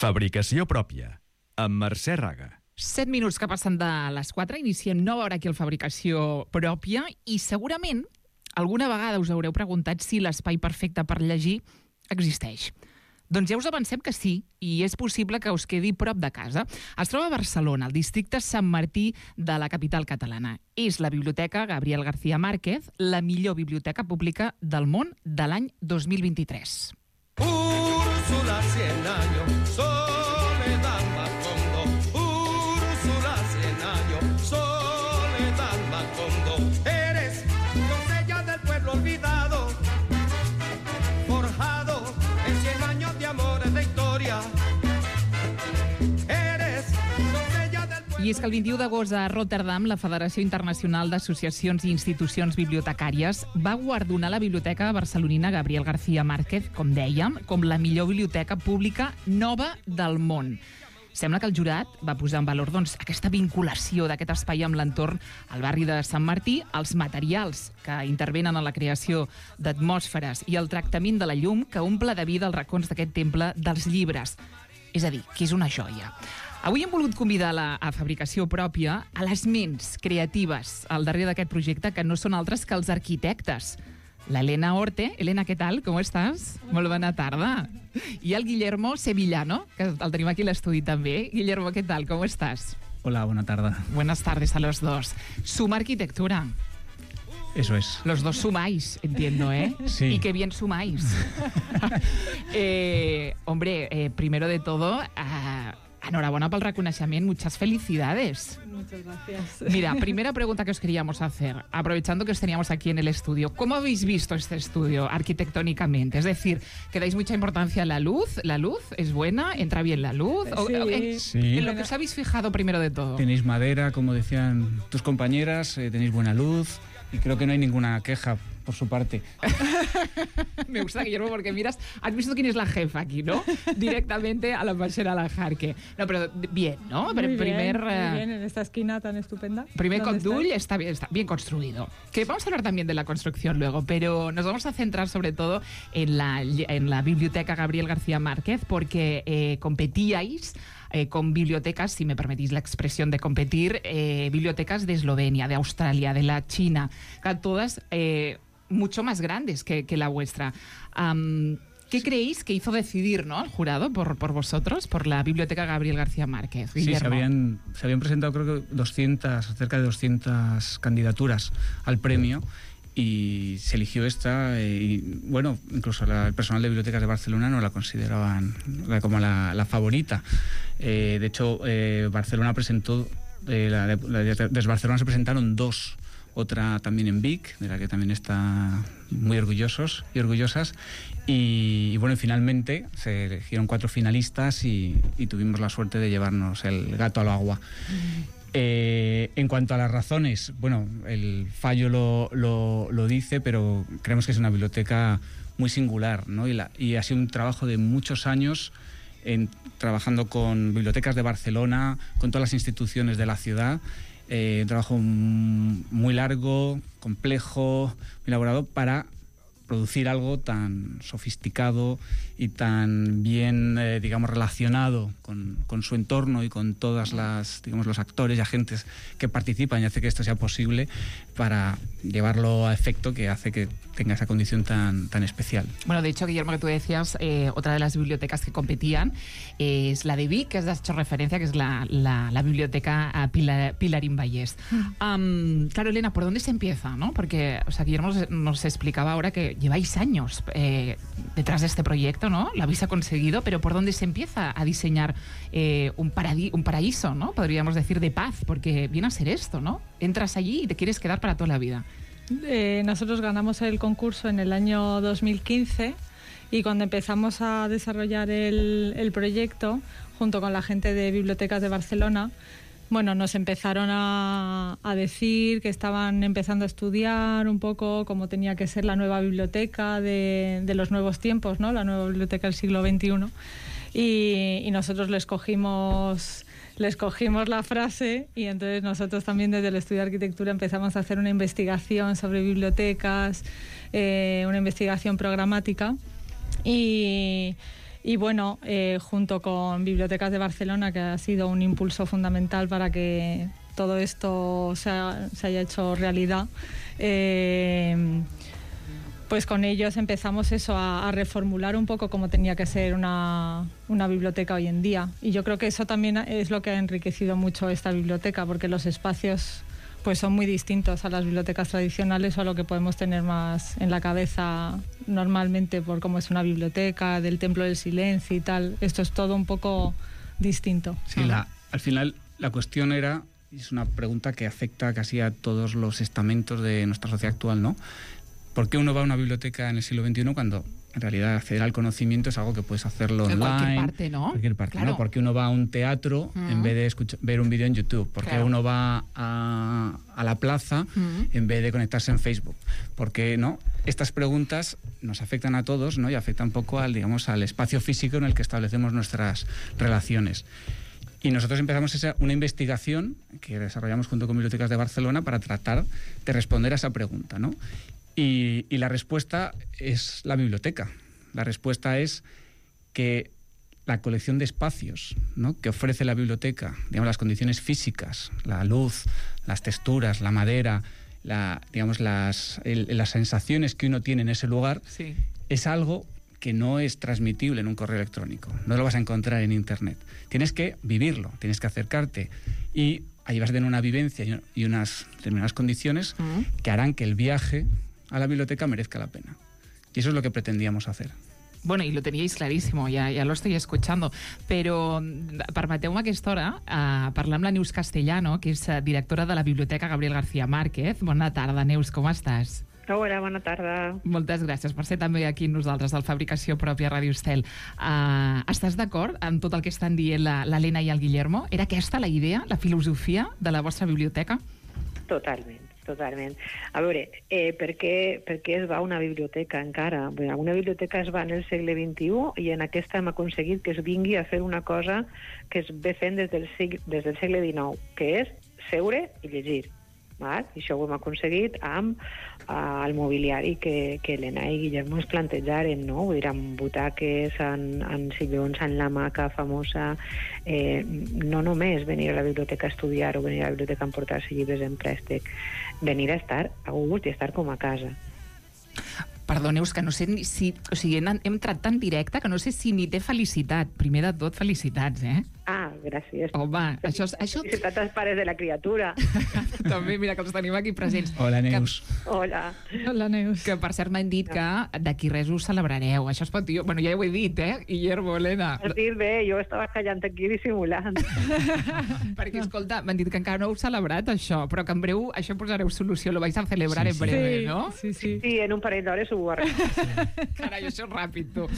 Fabricació pròpia, amb Mercè Raga. 7 minuts que passen de les 4, iniciem nova hora aquí al Fabricació pròpia i segurament alguna vegada us haureu preguntat si l'espai perfecte per llegir existeix. Doncs ja us avancem que sí, i és possible que us quedi prop de casa. Es troba a Barcelona, al districte Sant Martí de la capital catalana. És la Biblioteca Gabriel García Márquez, la millor biblioteca pública del món de l'any 2023. Úrsula, 100 años, soledad Macondo. Úrsula, 100 años, soledad Macondo. Eres doncella del pueblo olvidado, forjado en 100 años de amores de historia. Eres doncella del pueblo... I és que el 21 d'agost a Rotterdam, la Federació Internacional d'Associacions i Institucions Bibliotecàries va guardonar la Biblioteca barcelonina Gabriel García Márquez, com dèiem, com la millor biblioteca pública nova del món. Sembla que el jurat va posar en valor aquesta vinculació d'aquest espai amb l'entorn al barri de Sant Martí, els materials que intervenen en la creació d'atmosferes i el tractament de la llum que omple de vida els racons d'aquest temple dels llibres. És a dir, que és una joia. Avui hem volgut convidar a Fabricació pròpia a les ments creatives al darrere d'aquest projecte, que no són altres que els arquitectes. L'Elena Orte. Elena, què tal? Com estàs? Molt bona tarda. I el Guillermo Sevillano, que el tenim aquí a l'estudi també. Guillermo, què tal? Com estàs? Hola, buena tarde. Buenas tardes a los dos. Suma Arquitectura. Eso es. Los dos sumáis, entiendo, ¿eh? Sí. Y qué bien sumáis. Hombre, primero de todo, enhorabuena pel reconeixement, muchas felicidades. Muchas gracias. Mira, primera pregunta que os queríamos hacer, aprovechando que os teníamos aquí en el estudio. ¿Cómo habéis visto este estudio arquitectónicamente? Es decir, ¿que dais mucha importancia a la luz? ¿La luz es buena? ¿Entra bien la luz? Sí. En lo que os habéis fijado primero de todo. Tenéis madera, como decían tus compañeras, tenéis buena luz y creo que no hay ninguna queja por su parte. Me gusta, Guillermo, porque miras, has visto quién es la jefa aquí, ¿no? Directamente a la Pachera la Jarque. No, pero bien, ¿no? Muy bien, en esta esquina tan estupenda. Primer condull está bien construido. Que vamos a hablar también de la construcción luego, pero nos vamos a centrar sobre todo en la Biblioteca Gabriel García Márquez, porque competíais con bibliotecas, si me permitís la expresión de competir, bibliotecas de Eslovenia, de Australia, de la China, todas mucho más grandes que la vuestra. ¿Qué creéis que hizo decidir, ¿no, al jurado por vosotros, por la Biblioteca Gabriel García Márquez? Sí, se habían presentado creo que cerca de 200 candidaturas al premio y se eligió esta y bueno, incluso el personal de bibliotecas de Barcelona no la consideraban como la favorita. De hecho, Barcelona presentó, desde Barcelona se presentaron dos, otra también en Vic, de la que también está muy orgullosos y orgullosas, y bueno, finalmente se eligieron 4 finalistas y tuvimos la suerte de llevarnos el gato al agua. En cuanto a las razones, bueno, el fallo lo dice, pero creemos que es una biblioteca muy singular, ¿no? Y ha sido un trabajo de muchos años trabajando con bibliotecas de Barcelona, con todas las instituciones de la ciudad. Un trabajo muy largo, complejo, muy elaborado para producir algo tan sofisticado y tan bien, digamos, relacionado con su entorno y con todas las, digamos, los actores y agentes que participan y hace que esto sea posible para llevarlo a efecto, que hace que tenga esa condición tan especial. Bueno, de hecho, Guillermo, que tú decías, otra de las bibliotecas que competían es la de Vic, que has hecho referencia, que es la biblioteca Pilarín Vallès. Claro, Elena, ¿por dónde se empieza, no? Porque, o sea, Guillermo nos explicaba ahora que lleváis años detrás de este proyecto, ¿no? Lo habéis conseguido, pero ¿por dónde se empieza a diseñar un paraíso, ¿no? Podríamos decir de paz, porque viene a ser esto, ¿no? Entras allí y te quieres quedar para toda la vida. Nosotros ganamos el concurso en el año 2015 y cuando empezamos a desarrollar el proyecto, junto con la gente de Bibliotecas de Barcelona, bueno, nos empezaron a decir que estaban empezando a estudiar un poco cómo tenía que ser la nueva biblioteca de los nuevos tiempos, ¿no? La nueva biblioteca del siglo XXI. Y nosotros les cogimos la frase y entonces nosotros también desde el estudio de arquitectura empezamos a hacer una investigación sobre bibliotecas, una investigación programática y Y bueno, junto con Bibliotecas de Barcelona, que ha sido un impulso fundamental para que todo esto se haya hecho realidad, pues con ellos empezamos a reformular un poco cómo tenía que ser una biblioteca hoy en día. Y yo creo que eso también es lo que ha enriquecido mucho esta biblioteca, porque los espacios pues son muy distintos a las bibliotecas tradicionales o a lo que podemos tener más en la cabeza normalmente por cómo es una biblioteca, del Templo del Silencio y tal. Esto es todo un poco distinto. Sí, al final la cuestión era, y es una pregunta que afecta casi a todos los estamentos de nuestra sociedad actual, ¿no? ¿Por qué uno va a una biblioteca en el siglo XXI cuando en realidad acceder al conocimiento es algo que puedes hacerlo online? En cualquier parte, ¿no? Cualquier parte, claro. ¿no? ¿Por qué uno va a un teatro en vez de ver un vídeo en YouTube? ¿Por qué uno va a la plaza en vez de conectarse en Facebook? ¿Por qué no? Estas preguntas nos afectan a todos, ¿no? Y afectan un poco al espacio físico en el que establecemos nuestras relaciones. Y nosotros empezamos una investigación que desarrollamos junto con Bibliotecas de Barcelona para tratar de responder a esa pregunta, ¿no? Y la respuesta es la biblioteca. La respuesta es que la colección de espacios, ¿no?, que ofrece la biblioteca, digamos, las condiciones físicas, la luz, las texturas, la madera, las sensaciones que uno tiene en ese lugar, sí, es algo que no es transmitible en un correo electrónico, no lo vas a encontrar en Internet. Tienes que vivirlo, tienes que acercarte y ahí vas a tener una vivencia y unas determinadas condiciones que harán que el viaje a la biblioteca merezca la pena. Y eso es lo que pretendíamos hacer. Bueno, y lo teníais clarísimo, ya lo estoy escuchando, però permeteu-me a aquesta hora parlar amb la Neus Castellano, que és directora de la Biblioteca Gabriel García Márquez. Bona tarda, Neus, com estàs? Hola, bona tarda. Moltes gràcies per ser també aquí amb nosaltres, del Fabricació Pròpia Ràdio Estel. Estàs d'acord amb tot el que estan dient l'Helena i el Guillermo? Era aquesta la idea, la filosofia de la vostra biblioteca? Totalment. A veure, per què es va a una biblioteca encara? Bé, una biblioteca es va en el segle XXI i en aquesta hem aconseguit que es vingui a fer una cosa que es ve fent des del segle XIX, que és seure i llegir. I això ho hem aconseguit amb el mobiliari que Helena i Guillermo es plantejaren, no? Vull dir, amb butaques, en sillons, en l'hamaca famosa, no només venir a la biblioteca a estudiar o venir a la biblioteca a emportar-se llibres en préstec, venir a estar a gust i estar com a casa. Perdoneu, que no sé si... O sigui, hem entrat tan directe que no sé si ni té felicitat. Primer de tot, felicitats, eh? Ah, gràcies. Home, això... Felicitats als pares de la criatura. També, mira, que els tenim aquí presents. Hola, Neus. Hola. Hola, Neus. Que, per cert, m'han dit que d'aquí res us celebrareu. Això es pot dir... Bueno, ja ho he dit, Guillermo, Helena. Has dit bé, jo estava callant aquí dissimulant. Perquè, escolta, m'han dit que encara no heu celebrat això, però que en breu això posareu solució, lo vais a celebrar en breve, no? Sí. Sí, en un parell d'hores ho arreglarem. Carai, això és ràpid, tu.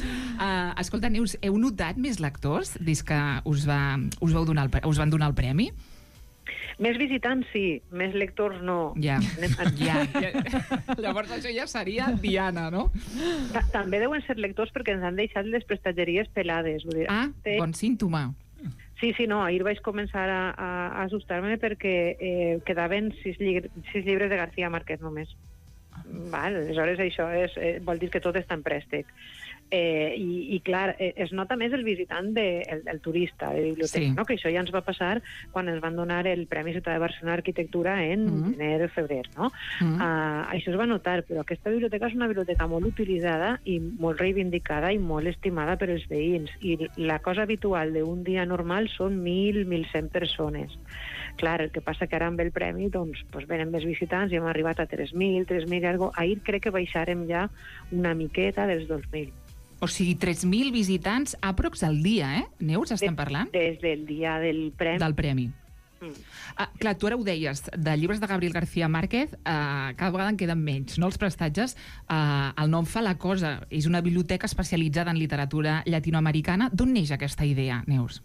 Escolta, Neus, heu notat més lectors des que us van donar el premi? Més visitants, sí. Més lectors, no. Ja. Llavors això ja seria Diana, no? També deuen ser lectors perquè ens han deixat les prestatgeries pelades. Vull dir, bon símptoma. Sí, no, ahir vaig començar a assustar-me perquè quedaven 6 llibres de García Márquez només. Aleshores això vol dir que tot està en préstec. I clar, es nota més el visitant, el turista de biblioteca, no? Que això ja ens va passar quan ens van donar el Premi Ciutat de Barcelona d'Arquitectura en gener o febrer, no? Això es va notar, però aquesta biblioteca és una biblioteca molt utilitzada i molt reivindicada i molt estimada per els veïns, i la cosa habitual d'un dia normal són 1.000-1.100 persones. Clar, el que passa que ara amb el premi doncs venen més visitants i hem arribat a 3.000 i alguna cosa. Ahir crec que baixarem ja una miqueta dels 2.000. O sigui, 3.000 visitants aprox al dia, Neus, estem parlant? Des del dia del premi. Del premi. Clar, tu ara ho deies, de llibres de Gabriel García Márquez cada vegada en queden menys, no? Els prestatges, el nom fa la cosa, és una biblioteca especialitzada en literatura llatinoamericana. D'on neix aquesta idea, Neus?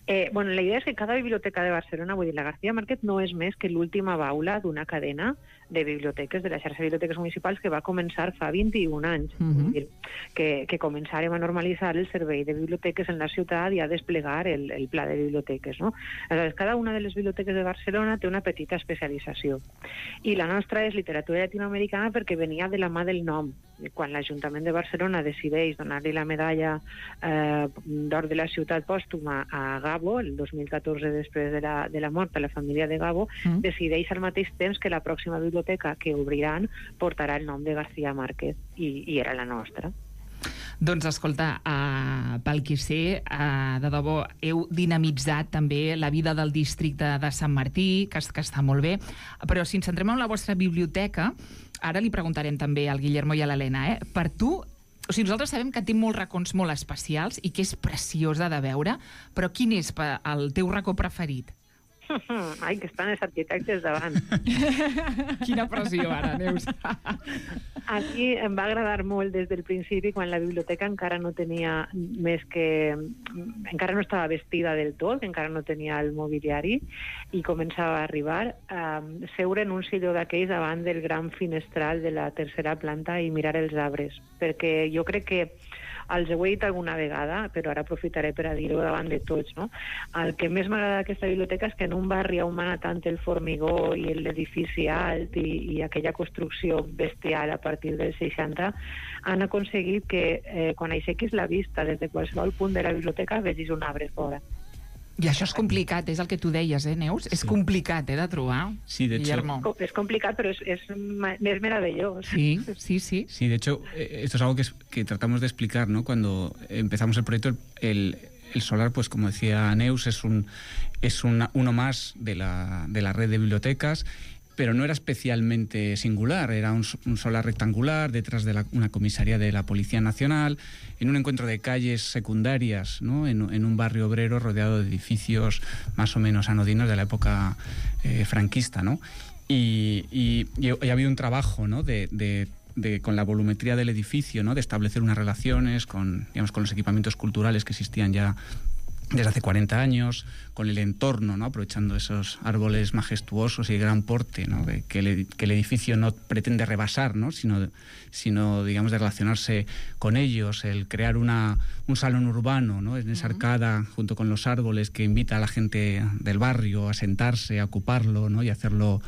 La idea és que cada biblioteca de Barcelona, vull dir, la García Márquez no és més que l'última baula d'una cadena de biblioteques, de la xarxa de biblioteques municipals, que va començar fa 21 anys. Vull dir, que començarem a normalitzar el servei de biblioteques en la ciutat i a desplegar el pla de biblioteques, no? Aleshores, cada una de les biblioteques de Barcelona té una petita especialització. I la nostra és literatura llatinoamericana perquè venia de la mà del nom. Quan l'Ajuntament de Barcelona decideix donar-li la medalla d'or de la ciutat pòstuma a Gabo, el 2014, després de la mort de la família de Gabo, decideix al mateix temps que la pròxima biblioteca que obriran portarà el nom de García Márquez, i era la nostra. Doncs escolta, pel que sé, de debò, heu dinamitzat també la vida del districte de Sant Martí, que està molt bé, però si ens centrem en la vostra biblioteca, ara li preguntarem també al Guillermo i a l'Helena, per tu, o sigui, nosaltres sabem que té molts racons molt especials i que és preciosa de veure, però quin és el teu racó preferit? Ai, que estan els arquitectes davant. Quina pressió ara, Neus. A mi em va agradar molt des del principi, quan la biblioteca encara no tenia encara no estava vestida del tot, encara no tenia el mobiliari, i començava a arribar, seure en un silló d'aquells davant del gran finestral de la tercera planta i mirar els arbres, perquè jo crec que els ho he dit alguna vegada, però ara aprofitaré per a dir-ho davant de tots, no? El que més m'agrada d'aquesta biblioteca és que en un barri on mana tant el formigó i l'edifici alt i aquella construcció bestial a partir dels 60, han aconseguit que quan aixequis la vista des de qualsevol punt de la biblioteca vegis un arbre fora. I això és complicat, és el que tu deies, Neus? Sí. És complicat, de trobar. Sí, de hecho... Guillermo. Es complicat, pero es maravilloso. Sí, sí, sí. Sí, de hecho, esto es algo que tratamos de explicar, ¿no? Cuando empezamos el proyecto, el solar, pues como decía Neus, es uno más de la red de bibliotecas, pero no era especialmente singular, era un solar rectangular detrás de una comisaría de la Policía Nacional, en un encuentro de calles secundarias, ¿no? en un barrio obrero rodeado de edificios más o menos anodinos de la época franquista, ¿no? Y ha habido un trabajo, ¿no? con la volumetría del edificio, ¿no? De establecer unas relaciones con los equipamientos culturales que existían ya desde hace 40 años, con el entorno, ¿no? Aprovechando esos árboles majestuosos y de gran porte, ¿no? que el edificio no pretende rebasar, ¿no? sino digamos, de relacionarse con ellos, el crear un salón urbano, ¿no? En esa arcada, junto con los árboles, que invita a la gente del barrio a sentarse, a ocuparlo, ¿no? y hacerlo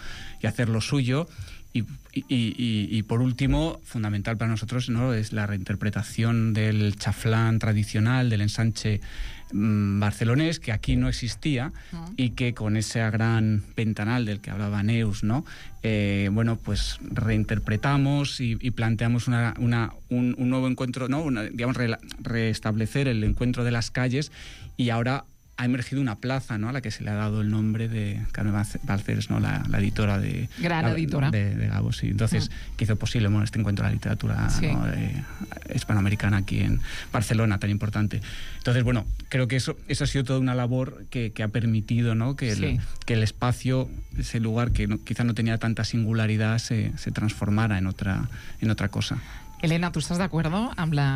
suyo. Y por último, fundamental para nosotros, ¿no? Es la reinterpretación del chaflán tradicional, del ensanche barcelonés, que aquí no existía, y que con ese gran ventanal del que hablaba Neus, ¿no? Bueno, pues reinterpretamos y planteamos un nuevo encuentro, ¿no? Digamos, restablecer el encuentro de las calles, y ahora ha emergido una plaza, ¿no? A la que se le ha dado el nombre de Carmen Balcells, ¿no? La editora de... Gran editora. De Gabo, sí. Entonces, que hizo posible, bueno, este encuentro de la literatura, sí, ¿no? Hispanoamericana aquí en Barcelona, tan importante. Entonces, bueno, creo que eso ha sido toda una labor que ha permitido, ¿no? Que el espacio, ese lugar que quizá no tenía tanta singularidad, se transformara en otra cosa. Elena, ¿tú estás de acuerdo?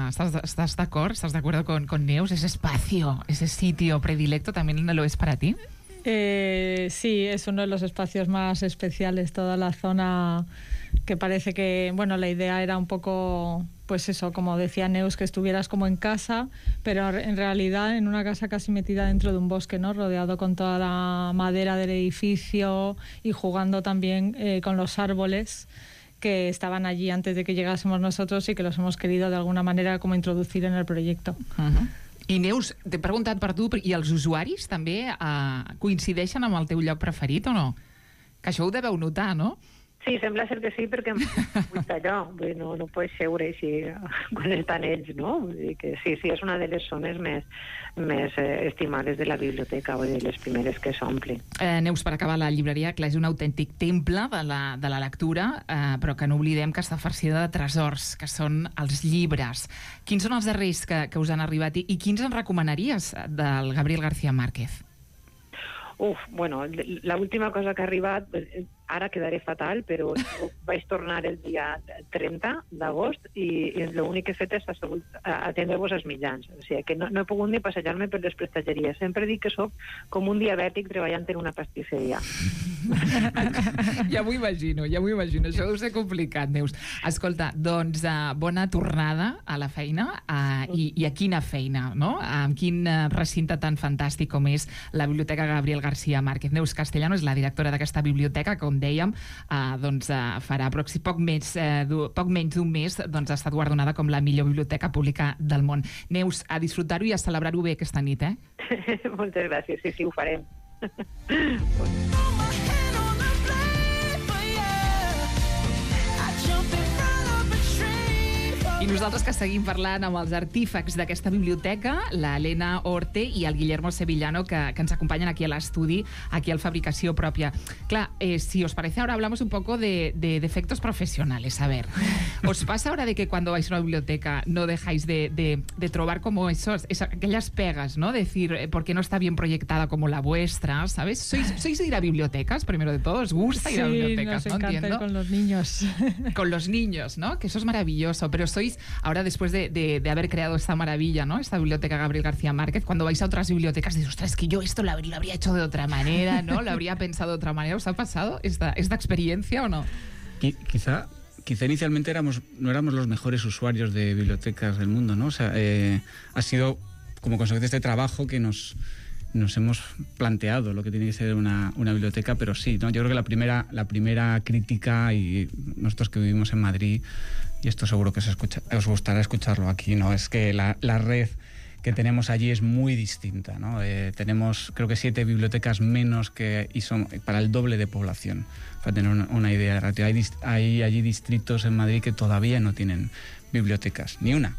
¿Estás de acuerdo? ¿Estás de acuerdo con Neus? ¿Ese espacio, ese sitio predilecto también lo es para ti? Sí, es uno de los espacios más especiales, toda la zona, que parece que, bueno, la idea era un poco, pues eso, como decía Neus, que estuvieras como en casa, pero en realidad en una casa casi metida dentro de un bosque, ¿no? Rodeado con toda la madera del edificio y jugando también con los árboles que estaban allí antes de que llegásemos nosotros y que los hemos querido de alguna manera como introducir en el proyecto. I Neus, t'he preguntat per tu, i els usuaris també coincideixen amb el teu lloc preferit o no? Que això ho deveu notar, no? Sí, sembla ser que sí, perquè vull allò, no pots seure així quan estan ells, no? Vull dir que sí, és una de les zones més estimades de la biblioteca, o de les primeres que s'omple. Neus, per acabar, la llibreria, clar, és un autèntic temple de la lectura, però que no oblidem que està farcida de tresors, que són els llibres. Quins són els darrers que us han arribat i quins en recomanaries del Gabriel García Márquez? Bueno, l'última cosa que ha arribat ara quedaré fatal, però vaig tornar el dia 30 d'agost i l'únic que he fet és atendre-vos als mitjans. O sigui, que no he pogut ni passejar-me per les prestatgeries. Sempre dic que sóc com un diabètic treballant en una pastisseria. Ja m'ho imagino. Això deu ser complicat, Neus. Escolta, doncs bona tornada a la feina i a quina feina, no? En quin recinte tan fantàstic com és la Biblioteca Gabriel García Márquez. Neus Castellano és la directora d'aquesta biblioteca, com dèiem, farà poc menys d'un mes ha estat guardonada com la millor biblioteca pública del món. Neus, a disfrutar-ho i a celebrar-ho bé aquesta nit, eh? Moltes gràcies, sí, ho farem. I nosaltres que seguim parlant amb els artífecs d'aquesta biblioteca, la Elena Orte i el Guillermo Sevillano, que ens acompanyen aquí a l'estudi, aquí al Fabricació Pròpia. Clar, si os parece, ahora hablamos un poco de defectos profesionales. A ver, ¿os pasa ahora de que cuando vais a una biblioteca no dejáis de trobar como aquellas pegas, ¿no? Decir, ¿por qué no está bien proyectada como la vuestra? ¿Sabes? ¿Sois de ir a bibliotecas, primero de todo? ¿Os gusta ir a bibliotecas? Sí, nos encanta ir con los niños. Con los niños, ¿no? Que eso es maravilloso, pero sois ahora, después de haber creado esta maravilla, ¿no? Esta biblioteca Gabriel García Márquez, cuando vais a otras bibliotecas dices, ostras, es que yo esto lo habría hecho de otra manera, ¿no? Lo habría pensado de otra manera. ¿Os ha pasado esta experiencia o no? Quizá inicialmente no éramos los mejores usuarios de bibliotecas del mundo, ¿no? O sea, ha sido como consecuencia de este trabajo que nos hemos planteado lo que tiene que ser una biblioteca, pero sí, ¿no? Yo creo que la primera crítica, y nosotros que vivimos en Madrid, y esto seguro que os gustará escucharlo aquí, ¿no? Es que la red que tenemos allí es muy distinta, ¿no? Tenemos, creo que 7 bibliotecas menos y son para el doble de población, para tener una idea. Hay allí distritos en Madrid que todavía no tienen bibliotecas, ni una.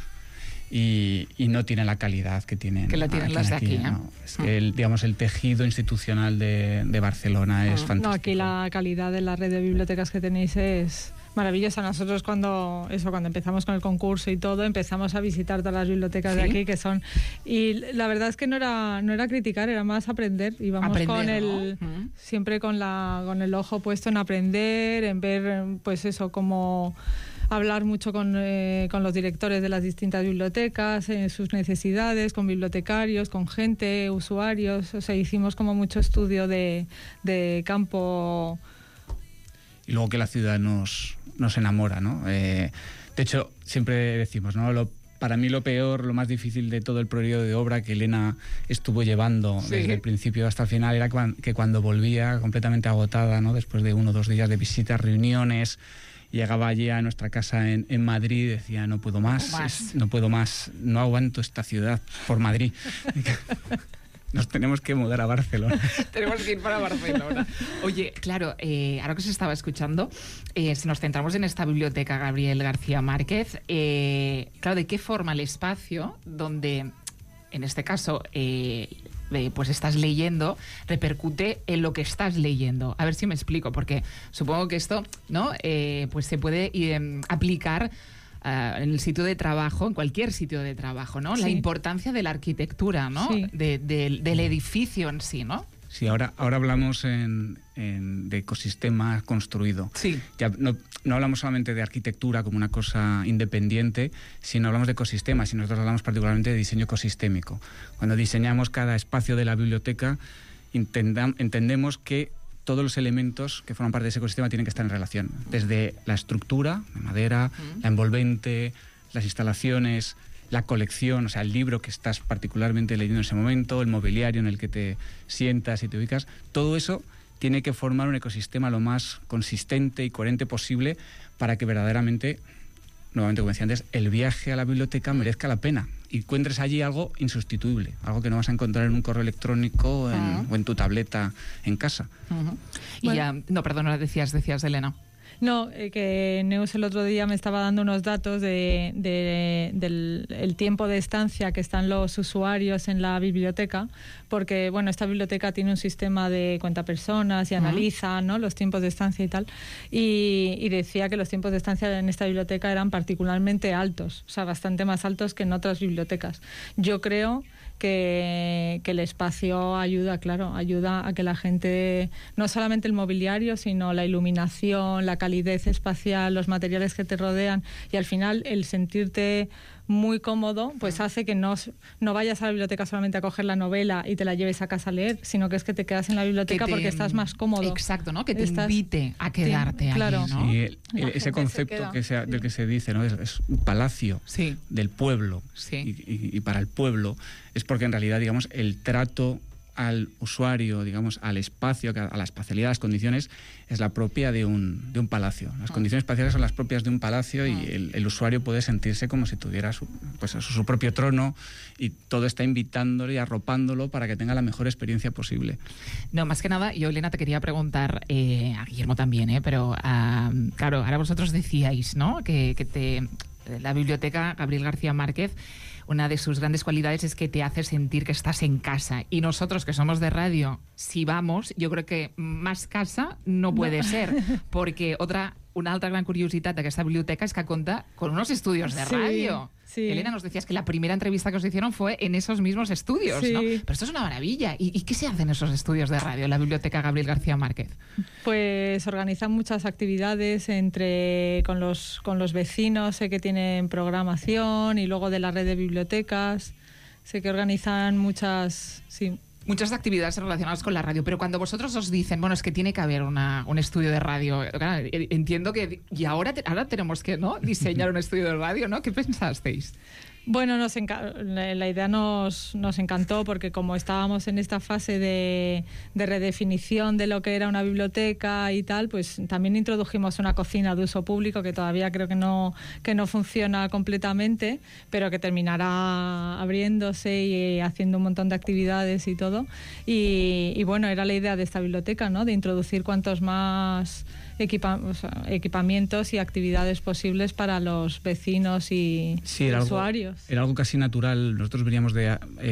Y no tienen la calidad que tienen. Que la tienen las de aquí, ¿no? Es que el tejido institucional de Barcelona es fantástico. No, aquí la calidad de la red de bibliotecas que tenéis es maravillosa. Nosotros cuando empezamos con el concurso y todo, empezamos a visitar todas las bibliotecas de aquí que son, y la verdad es que no era criticar, era más aprender. Íbamos siempre con el ojo puesto en aprender, en ver, pues eso, cómo hablar mucho con los directores de las distintas bibliotecas, sus necesidades, con bibliotecarios, con gente, usuarios. O sea, hicimos como mucho estudio de campo. Y luego que la ciudad nos enamora, ¿no? De hecho, siempre decimos, ¿no? Para mí lo peor, lo más difícil de todo el periodo de obra que Elena estuvo llevando desde el principio hasta el final era que cuando volvía completamente agotada, ¿no? Después de 1 o 2 días de visitas, reuniones, llegaba allí a nuestra casa en Madrid y decía, no puedo más, no aguanto esta ciudad por Madrid. Nos tenemos que mudar a Barcelona. Tenemos que ir para Barcelona. Oye, claro, ahora que se estaba escuchando, si nos centramos en esta biblioteca Gabriel García Márquez, claro, ¿de qué forma el espacio donde, en este caso, pues estás leyendo, repercute en lo que estás leyendo? A ver si me explico, porque supongo que esto, ¿no? Pues se puede aplicar en el sitio de trabajo, en cualquier sitio de trabajo, ¿no? Sí. La importancia de la arquitectura, ¿no? Sí. Del edificio en sí, ¿no? Sí, ahora hablamos de ecosistema construido. Sí. Ya no hablamos solamente de arquitectura como una cosa independiente, sino hablamos de ecosistemas, y nosotros hablamos particularmente de diseño ecosistémico. Cuando diseñamos cada espacio de la biblioteca, entendemos que todos los elementos que forman parte de ese ecosistema tienen que estar en relación. Desde la estructura, de madera, la envolvente, las instalaciones, la colección, o sea, el libro que estás particularmente leyendo en ese momento, el mobiliario en el que te sientas y te ubicas, todo eso tiene que formar un ecosistema lo más consistente y coherente posible para que verdaderamente, nuevamente como decía antes, el viaje a la biblioteca merezca la pena y encuentres allí algo insustituible, algo que no vas a encontrar en un correo electrónico o en tu tableta en casa. Bueno. No, perdona, decías Elena. No, que Neus el otro día me estaba dando unos datos del tiempo de estancia que están los usuarios en la biblioteca, porque bueno, esta biblioteca tiene un sistema de cuenta personas y analiza, ¿no?, los tiempos de estancia y tal, y decía que los tiempos de estancia en esta biblioteca eran particularmente altos, o sea, bastante más altos que en otras bibliotecas. Yo creo que el espacio ayuda a que la gente, no solamente el mobiliario, sino la iluminación, la calidez espacial, los materiales que te rodean, y al final el sentirte muy cómodo, pues hace que no vayas a la biblioteca solamente a coger la novela y te la lleves a casa a leer, sino que es que te quedas en la biblioteca porque estás más cómodo. Exacto, ¿no? Que te invite a quedarte claro. allí, ¿no? Sí, ese concepto del que se dice, ¿no? Es un palacio del pueblo y para el pueblo, es porque en realidad, digamos, el trato al usuario, digamos, al espacio, a la espacialidad, a las condiciones, es la propia de un palacio. Las condiciones espaciales son las propias de un palacio y el usuario puede sentirse como si tuviera su propio trono, y todo está invitándole y arropándolo para que tenga la mejor experiencia posible. No, más que nada, yo, Elena, te quería preguntar, a Guillermo también, pero claro, ahora vosotros decíais, ¿no?, que la biblioteca Gabriel García Márquez, una de sus grandes cualidades es que te hace sentir que estás en casa. Y nosotros, que somos de radio, si vamos, yo creo que más casa no puede ser, porque una altra gran curiositat d'aquesta biblioteca es que cuenta con unos estudios de radio. Sí. Elena, nos decías que la primera entrevista que os hicieron fue en esos mismos estudios, ¿no? Pero esto es una maravilla. ¿Y qué se hace en esos estudios de radio, en la biblioteca Gabriel García Márquez? Pues organizan muchas actividades con los vecinos, sé que tienen programación, y luego de la red de bibliotecas, sé que organizan muchas actividades relacionadas con la radio, pero cuando vosotros os dicen, bueno, es que tiene que haber un estudio de radio, claro, entiendo que ahora tenemos que, ¿no?, diseñar un estudio de radio, ¿no? ¿Qué pensasteis? Bueno, la idea nos encantó, porque como estábamos en esta fase de redefinición de lo que era una biblioteca y tal, pues también introdujimos una cocina de uso público que todavía creo que no funciona completamente, pero que terminará abriéndose y haciendo un montón de actividades y todo. Y bueno, era la idea de esta biblioteca, ¿no?, de introducir cuantos más equipamientos y actividades posibles para los vecinos y usuarios. Era algo casi natural. Nosotros veníamos de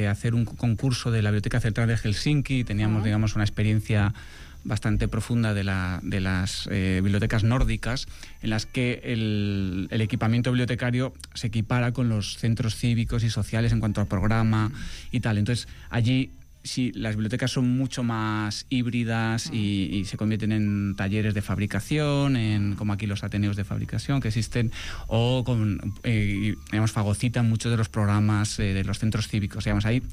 hacer un concurso de la Biblioteca Central de Helsinki y teníamos, digamos, una experiencia bastante profunda de las bibliotecas nórdicas, en las que el equipamiento bibliotecario se equipara con los centros cívicos y sociales en cuanto al programa y tal. Entonces, allí sí, las bibliotecas son mucho más híbridas y se convierten en talleres de fabricación, como aquí los ateneos de fabricación que existen, o digamos, fagocitan muchos de los programas de los centros cívicos. Digamos, ahí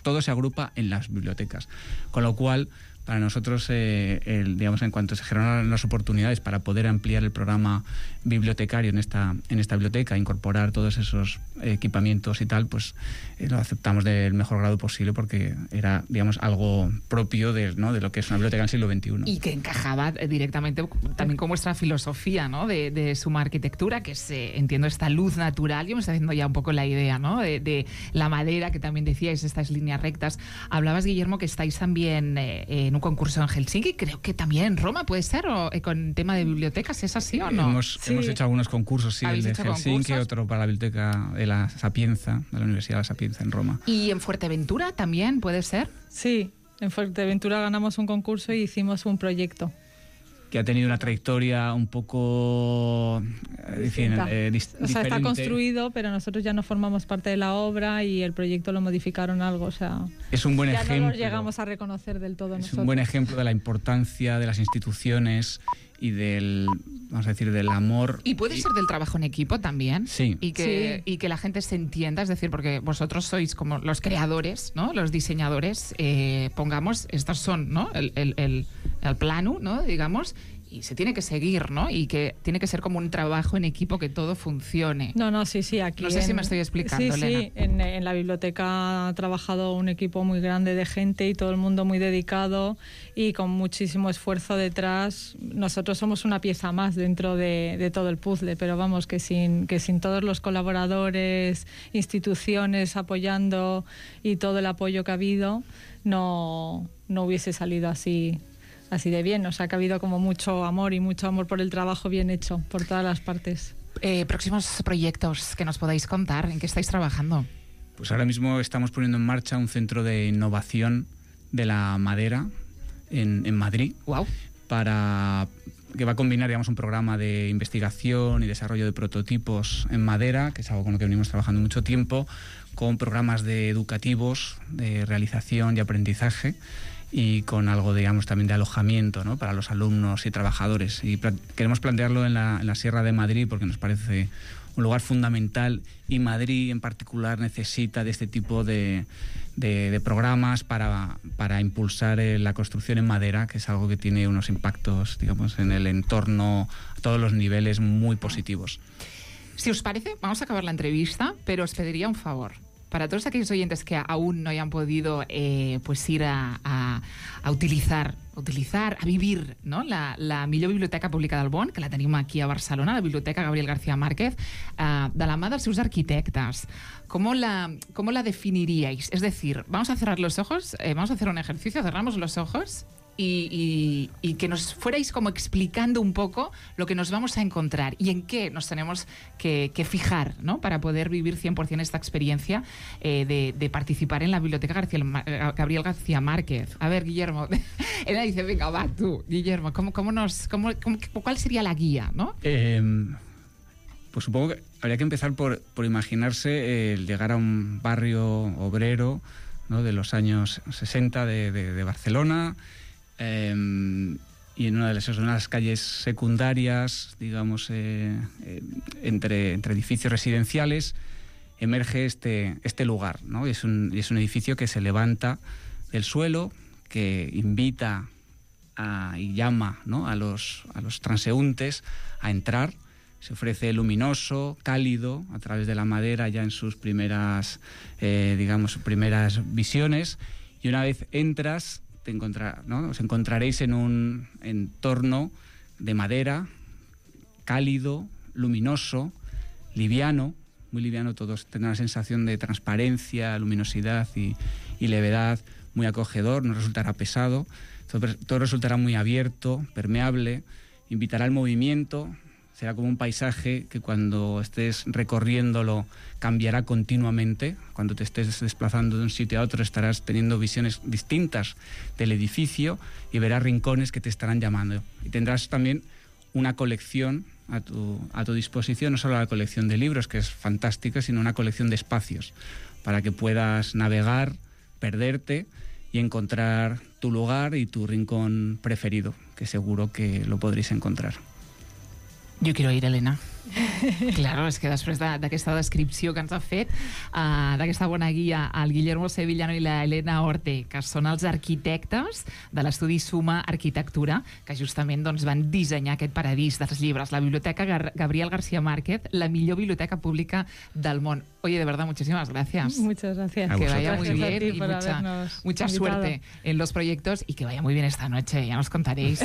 todo se agrupa en las bibliotecas, con lo cual para nosotros, digamos, en cuanto se generaron las oportunidades para poder ampliar el programa bibliotecario en esta biblioteca, incorporar todos esos equipamientos y tal, pues lo aceptamos del mejor grado posible, porque era, digamos, algo propio de lo que es una biblioteca en el siglo XXI. Y que encajaba directamente también con vuestra filosofía, ¿no?, de Suma Arquitectura, que es, entiendo, esta luz natural. Yo me estoy haciendo ya un poco la idea, ¿no?, de la madera, que también decíais, estas líneas rectas. Hablabas, Guillermo, que estáis también en un concurso en Helsinki, creo que también en Roma, ¿puede ser? ¿O con tema de bibliotecas? ¿Es así o no? Hemos hecho algunos concursos, sí, el de Helsinki, otro para la biblioteca de la Sapienza, de la Universidad de la Sapienza en Roma. ¿Y en Fuerteventura también puede ser? Sí, en Fuerteventura ganamos un concurso y hicimos un proyecto que ha tenido una trayectoria un poco diferente. O sea, está construido, pero nosotros ya no formamos parte de la obra y el proyecto lo modificaron algo. O sea, es un buen ejemplo. Ya no lo llegamos a reconocer del todo nosotros. Es un buen ejemplo de la importancia de las instituciones y del amor. Y puede ser del trabajo en equipo también. Sí. Y que la gente se entienda, es decir, porque vosotros sois como los creadores, ¿no?, los diseñadores, pongamos, estos son, ¿no?, el plano, ¿no?, digamos, y se tiene que seguir, ¿no?, y que tiene que ser como un trabajo en equipo, que todo funcione. No, sí, aquí... No sé si me estoy explicando, sí, Elena. Sí, en la biblioteca ha trabajado un equipo muy grande de gente y todo el mundo muy dedicado y con muchísimo esfuerzo detrás. Nosotros somos una pieza más dentro de todo el puzzle, pero vamos, que sin todos los colaboradores, instituciones apoyando y todo el apoyo que ha habido, no hubiese salido así de bien. O sea, que ha habido como mucho amor por el trabajo bien hecho por todas las partes. Próximos proyectos que nos podáis contar, ¿en qué estáis trabajando? Pues ahora mismo estamos poniendo en marcha un centro de innovación de la madera en Madrid. Wow. Que va a combinar, digamos, un programa de investigación y desarrollo de prototipos en madera, que es algo con lo que venimos trabajando mucho tiempo, con programas educativos de realización y aprendizaje y con algo, digamos, también de alojamiento, ¿no?, para los alumnos y trabajadores. Y queremos plantearlo en la Sierra de Madrid porque nos parece un lugar fundamental, y Madrid en particular necesita de este tipo de programas para impulsar la construcción en madera, que es algo que tiene unos impactos, digamos, en el entorno a todos los niveles muy positivos. Si os parece, vamos a acabar la entrevista, pero os pediría un favor. Para todos aquellos oyentes que aún no hayan podido pues ir a utilizar, a vivir, no?, la millor biblioteca pública del món, que la tenim aquí a Barcelona, la Biblioteca Gabriel García Márquez, de la mà dels seus arquitectes. ¿Cómo la definiríais? Es decir, vamos a cerrar los ojos, vamos a hacer un ejercicio, cerramos los ojos y que nos fuerais como explicando un poco lo que nos vamos a encontrar y en qué nos tenemos que fijar, ¿no?, para poder vivir 100% esta experiencia de participar en la Biblioteca Gabriel García Márquez. A ver, Guillermo, él dice, venga, va, tú, Guillermo, ¿cuál sería la guía, no? Pues supongo que habría que empezar por imaginarse el llegar a un barrio obrero, ¿no?, de los años 60 de Barcelona, y en una de las calles secundarias, digamos, entre edificios residenciales, emerge este lugar, ¿no? Es un edificio que se levanta del suelo, que invita y llama, ¿no?, a los transeúntes a entrar. Se ofrece luminoso, cálido, a través de la madera ya en sus primeras, primeras visiones, y una vez entras, os encontraréis en un entorno de madera, cálido, luminoso, liviano, muy liviano. Todos tendrán una sensación de transparencia, luminosidad y levedad, muy acogedor, no resultará pesado, todo resultará muy abierto, permeable, invitará al movimiento. Será como un paisaje que cuando estés recorriéndolo cambiará continuamente. Cuando te estés desplazando de un sitio a otro estarás teniendo visiones distintas del edificio y verás rincones que te estarán llamando. Y tendrás también una colección a tu disposición, no solo la colección de libros, que es fantástica, sino una colección de espacios para que puedas navegar, perderte y encontrar tu lugar y tu rincón preferido, que seguro que lo podréis encontrar. Jo quiero ir, Elena. Claro, és que després d'aquesta descripció que ens ha fet, d'aquesta bona guia, el Guillermo Sevillano i la Elena Orte, que són els arquitectes de l'estudi Suma Arquitectura, que justament doncs, van dissenyar aquest paradís dels llibres, la Biblioteca Gabriel García Márquez, la millor biblioteca pública del món. Oye, de verdad, muchísimas gracias. Muchas gracias. Que vaya muy Gracias bien y mucha suerte en los proyectos y que vaya muy bien esta noche. Ya nos contaréis.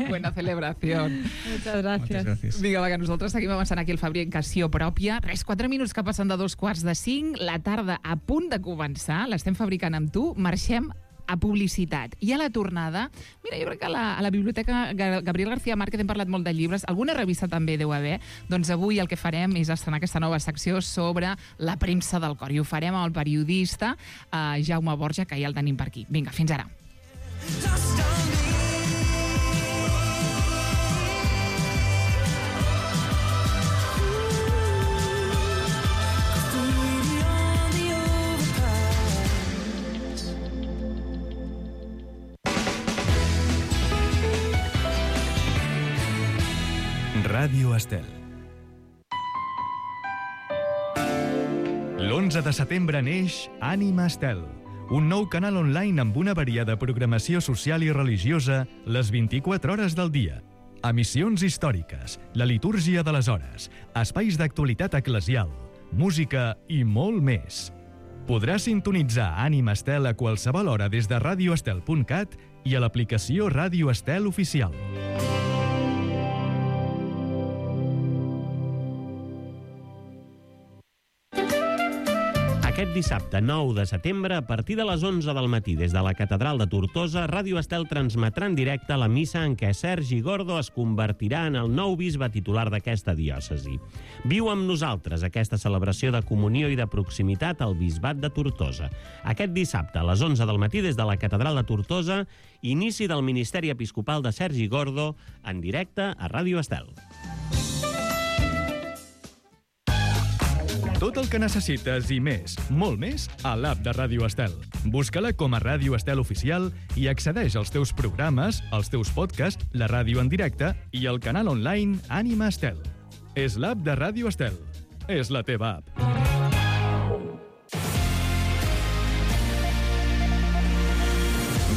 Buena celebración. Muchas gracias. Vinga, va, que nosaltres seguim avançant aquí el Fabricació Pròpia. 4 minuts que passen de 2:45. La tarda a punt de començar. L'estem fabricant amb tu. Marxem a publicitat. I a la tornada, mira, jo crec que a la Biblioteca Gabriel García Márquez hem parlat molt de llibres, alguna revista també deu haver, doncs avui el que farem és estrenar aquesta nova secció sobre la premsa del cor, i ho farem amb el periodista Jaume Borja, que ja el tenim per aquí. Vinga, fins ara. Ràdio Estel. L'11 de setembre neix Ànima Estel, un nou canal online amb una variada programació social i religiosa les 24 hores del dia. Emissions històriques, la litúrgia de les hores, espais d'actualitat eclesial, música i molt més. Podràs sintonitzar Ànima Estel a qualsevol hora des de radioestel.cat i a l'aplicació Ràdio Estel Oficial. Aquest dissabte 9 de setembre, a partir de les 11 del matí, des de la Catedral de Tortosa, Ràdio Estel transmetrà en directe la missa en què Sergi Gordo es convertirà en el nou bisbe titular d'aquesta diòcesi. Viu amb nosaltres aquesta celebració de comunió i de proximitat al bisbat de Tortosa. Aquest dissabte, a les 11 del matí, des de la Catedral de Tortosa, inici del Ministeri Episcopal de Sergi Gordo, en directe a Ràdio Estel. Tot el que necessites i més, molt més, a l'app de Ràdio Estel. Busca-la com a Ràdio Estel Oficial i accedeix als teus programes, als teus podcasts, la ràdio en directe i el canal online Ànima Estel. És l'app de Ràdio Estel. És la teva app.